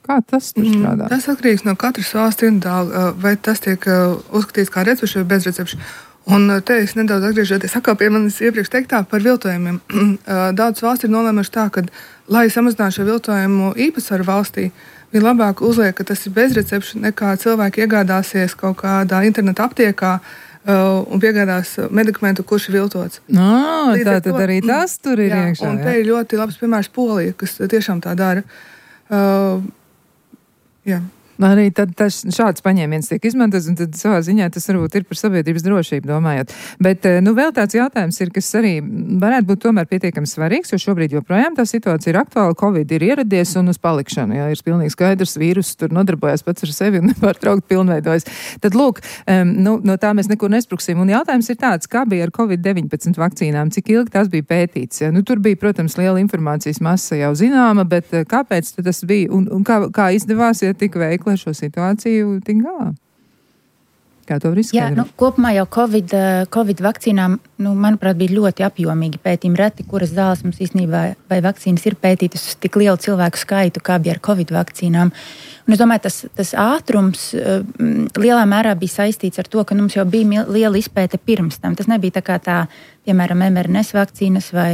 Kā tas tur strādā? Tas atkarīgs no katras valsts individuāli, vai tas tiek uzskatīts kā recepšu vai bez recepšu. Un te es nedaudz atgriežoties atkal pie manis iepriekš teiktā par viltojumiem. Daudzas valsts ir nolēmuši tā, ka, lai samazinātu šo viltojumu īpatsvaru valstī, ir labāk uzliek, ka tas ir bezrecepšu, nekā cilvēki iegādāsies kaut kādā interneta aptiekā uh, un piegādās medikamentu, kurš ir viltots. No, tā tad arī tas tur ir jā, iekšā. Un jā. te ir ļoti labs piemērs Polija, kas tiešām tā dara. Uh, jā. Arī tad tas, šāds paņēmiens tiek izmantots, un tad savā ziņā tas varbūt ir par sabiedrības drošību domājot. Bet, nu, vēl tāds jautājums ir, kas arī varētu būt tomēr pietiekami svarīgs, jo šobrīd joprojām tā situācija ir aktuāla, Covid ir ieradies un uz palikšanu, jā, ir pilnīgi skaidrs, vīrus tur nodarbojas pats ar sevi un nepārtraukt pilnveidojas. Tad, lūk, um, nu, no tā mēs nekur nespruksim, un jautājums ir tāds, kā bija ar Covid deviņpadsmit vakcīnām, cik ilgi tās bija pētīts, ja? Nu, tur bija, protams, liela informācijas masa jau zināma, bet kāpēc tas bija, un, un kā, kā izdevās, ja tik veikli lai šo situāciju tik galā? Kā to var izskaidrot? Jā, nu, kopumā jau COVID, COVID vakcīnām, nu, manuprāt, bija ļoti apjomīgi pētījumi. Reti, kuras zāles mums īstenībā vai vakcīnas ir pētītas uz tik lielu cilvēku skaitu, kā bija ar COVID vakcīnām. Un es domāju, tas, tas ātrums lielā mērā bija saistīts ar to, ka mums jau bija liela izpēte pirms tam. Tas nebija tā kā tā, piemēram, em er en es vakcīnas vai,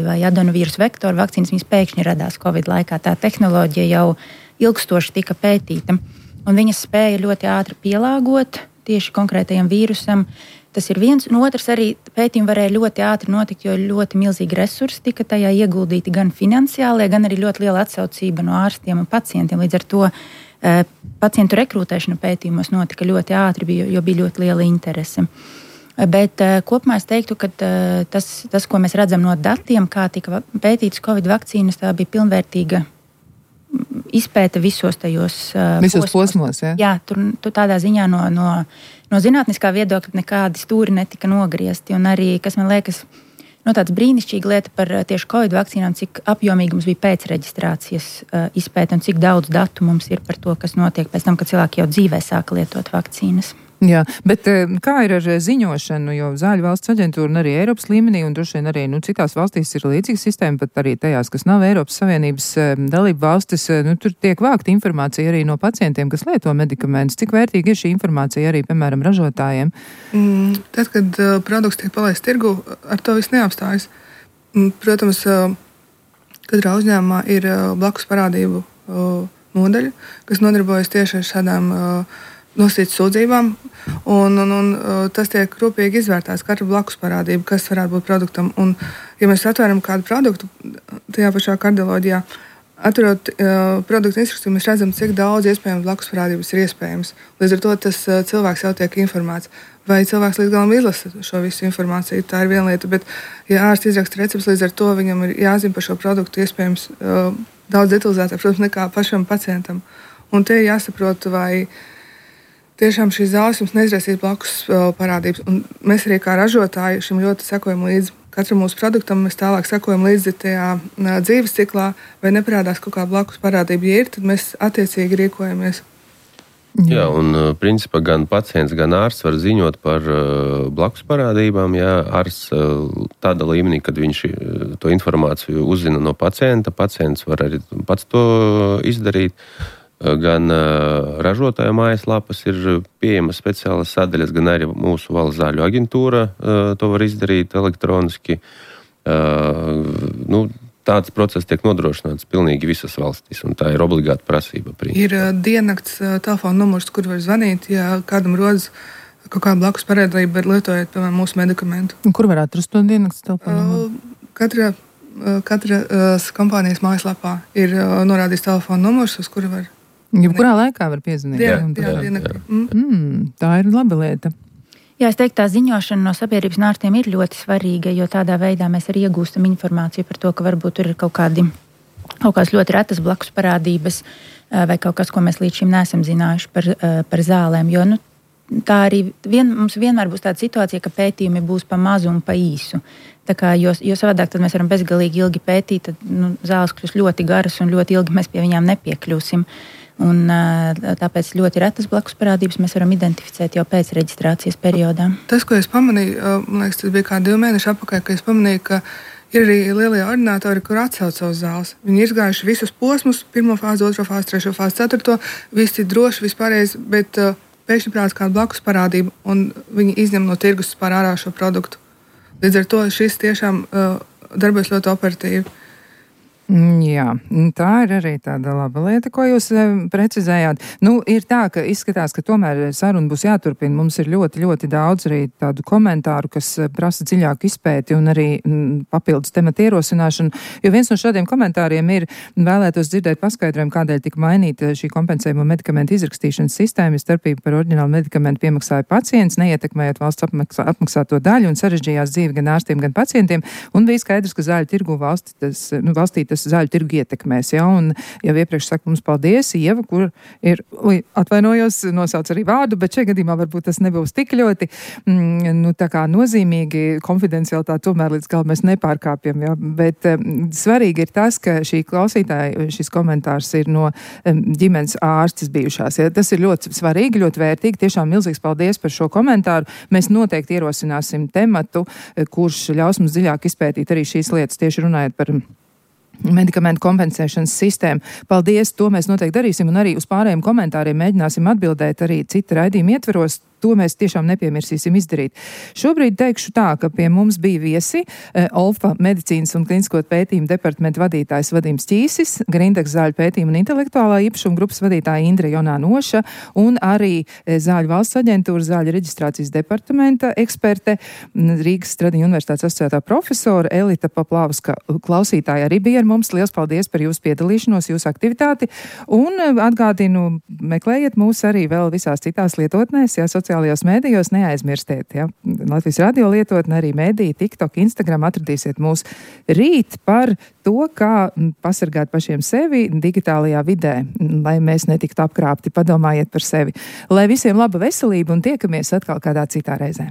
vai adenovīrusa vektoru vakcīnas, viņas pēkšņi radās COVID laikā. Tā tehnoloģija jau ilgstoši tika pētīta, un viņas spēja ļoti ātri pielāgot tieši konkrētajam vīrusam. Tas ir viens, un otrs arī pētījumi varēja ļoti ātri notikt, jo ļoti milzīgi resursi tika tajā ieguldīti gan finansiālie, gan arī ļoti liela atsaucība no ārstiem un pacientiem. Līdz ar to e, pacientu rekrutēšana pētījumos notika ļoti ātri, jo bija ļoti liela interese. Bet e, kopumā es teiktu, ka e, tas, tas, ko mēs redzam no datiem, kā tika pētītas Covid vakcīnas, tā bija pilnvērtīga izpēta visos tajos uh, visos posmos. posmos, jā? Jā, tur, tur tādā ziņā no, no, no zinātniskā viedokļa nekādi stūri netika nogriezti. Un arī, kas man liekas, no tāds brīnišķīga lieta par tieši Covid vakcīnām, cik apjomīgi mums bija pēcreģistrācijas uh, izpēta un cik daudz datu mums ir par to, kas notiek pēc tam, kad cilvēki jau dzīvē sāka lietot vakcīnas. Jā, bet kā ir ar ziņošanu, jo Zāļu valsts aģentūra un arī Eiropas līmenī, un droši vien arī nu, citās valstīs ir līdzīga sistēma, pat arī tajās, kas nav Eiropas Savienības dalība valstis, nu, tur tiek vākta informācija arī no pacientiem, kas lieto medikamentus. Cik vērtīga ir šī informācija arī, piemēram, ražotājiem? Mm, tad, kad uh, produkts tiek palaists tirgu, ar to viss neapstājas. Mm, protams, uh, katrā uzņēmumā ir uh, blakus parādību uh, nodaļa, kas nodarbojas tieši ar šādām uh, nosacītas sūdzībām, un, un, un tas tiek rūpīgi izvērtēts, katra blakus parādība, kas varētu būt produktam. Un, ja mēs atvēram kādu produktu tajā pašā kardioloģijā, atverot uh, produktu instrukciju, mēs redzam, cik daudz iespējams blakus parādības ir iespējams. Līdz ar to tas uh, cilvēks jau tiek informēts. Vai cilvēks līdz galam izlasa šo visu informāciju, tā ir viena lieta, bet, ja ārsts izraksta recepts, līdz ar to viņam ir jāzina par šo produktu iespējams uh, daudz detalizētāk, protams, nekā pašam pacientam. Un te ir jāsaprot, vai tiešām šīs zāles jums neizraisīs blakus parādības. Un mēs arī kā ražotāji šim ļoti sekojam līdzi. Katram mūsu produktam mēs tālāk sekojam līdzi tajā dzīves ciklā, vai neparādās kaut kāda blakus parādība. Ja ir, tad mēs attiecīgi rīkojamies. Jā, un principā gan pacients, gan ārsts var ziņot par uh, blakus parādībām. Jā, ārsts uh, tāda līmenī, kad viņš uh, to informāciju uzzina no pacienta, pacients var arī pats to izdarīt. Uh, gan uh, ražotāja mājaslapas ir pieejamas speciālas sadaļas, gan arī mūsu valsts zāļu aģentūra uh, to var izdarīt elektroniski. Uh, nu, Tāds process tiek nodrošināts pilnīgi visas valstīs, un tā ir obligāta prasība. Principā. Ir uh, diennakts uh, telefona numurs, kur var zvanīt, ja kādam rodas kaut kāda blakus parādība, lietojot, piemēram, mūsu medikamentu. Un kur var atrast to diennakts telefona numuru? Uh, katra uh, katra uh, kompānijas mājaslapā ir uh, norādīts telefona numurs, uz kuru var... Jebkurā laikā var piezvanīt. Jā, jā, jā, jā. Mm. Mm, tā ir laba lieta. Jā, es teiktu, tā ziņošana no sabiedrības un ārstiem ir ļoti svarīga, jo tādā veidā mēs arī iegūstam informāciju par to, ka varbūt tur ir kaut kādi, kaut kādas ļoti retas blakus parādības vai kaut kas, ko mēs līdz šim neesam zinājuši par, par zālēm. Jo, nu, tā arī vien, mums vienmēr būs tāda situācija, ka pētījumi būs pa mazu un pa īsu. Tā kā, jo, jo savādāk tad mēs varam bezgalīgi ilgi pētīt, tad nu, zāles kļūst ļoti garas un ļoti ilgi mēs pie viņām nepiekļūsim. Un, tāpēc ļoti retas blakus parādības mēs varam identificēt jau pēc reģistrācijas periodā. Tas, ko es pamanīju, man liekas, tas bija kā divi mēneši atpakaļ, ka es pamanīju, ka ir arī lielie ordinātori, kur atsauc savus zāles. Viņi ir izgājuši visus posmus, pirmo fāzi, otro fāzi, trešo fāzi, ceturto, visi droši, vispārējais, bet uh, pēkšņi prāts kāda blakus parādība, un viņi izņem no tirgus pār ārā šo produktu. Līdz ar to šis tiešām uh, darbojas ļoti operatīvi. Jā, tā ir arī tāda laba lieta, ko jūs precizējāt. Nu, ir tā, ka izskatās, ka tomēr saruna būs jāturpina. Mums ir ļoti, ļoti daudz arī tādu komentāru, kas prasa dziļāku izpēti un arī m, papildus tematu ierosināšanu. Jo viens no šādiem komentāriem ir vēlētos dzirdēt paskaidrojumu, kādēļ tika mainīta šī kompensējuma medikamentu izrakstīšanas sistēma, starpība par oriģinālu medikamentu piemaksāja pacients, neietekmējot valsts apmaksā, apmaksāto daļu un sarežģījās dzīvi gan ārstiem, gan pacientiem. Un bija skaidrs, ka zāļu tirgu valsti tas, nu, valstī tas zāļu tirgu ietekmēs, ja, un jau iepriekš saka mums paldies, Ieva, kur ir, ui, atvainojos, nosauc arī vārdu, bet šajā gadījumā varbūt tas nebūs tik ļoti, mm, nu, tā kā nozīmīgi, konfidencialitāti tomēr līdz galam mēs nepārkāpjam, ja, bet um, svarīgi ir tas, ka šī klausītāja, šis komentārs ir no um, ģimenes ārstes bijušās, ja, tas ir ļoti svarīgi, ļoti vērtīgi, tiešām milzīgs paldies par šo komentāru, mēs noteikti ierosināsim tematu, kurš ļaus mums dziļāk izpētīt arī šīs lietas, tieši runājot par medikamentu kompensēšanas sistēmu. Paldies, to mēs noteikti darīsim, un arī uz pārējiem komentāriem mēģināsim atbildēt arī cita raidījuma ietveros. To mēs tiešām nepiemirsīsim izdarīt. Šobrīd teikšu tā, ka pie mums bija viesi e, Olfa medicīnas un klinisko pētījumu departamenta vadītājs Vadims Ķīsis, Grindeks zāļu pētījumu un intelektuālā īpašuma grupas vadītāja Indra Jonā-Noša un arī e, Zāļu valsts aģentūra zāļu reģistrācijas departamenta eksperte Rīgas Stradiņu universitātes asociētā profesora Elita Paplāvska. Klausītāja arī bija ar mums. Liels paldies par jūsu piedalīšanos, jūsu aktivitāti un atgādinu, meklējiet mūs arī vēl visās citās lietotnēs, ja sociālajos mēdījos neaizmirstiet, ja. Latvijas radio lietotne, arī mēdī, TikTok, Instagram atradīsiet mūs rīt par to, kā pasargāt pašiem sevi digitālajā vidē, lai mēs netiktu apkrāpti. Padomājiet par sevi. Lai visiem laba veselība un tiekamies atkal kādā citā reizē.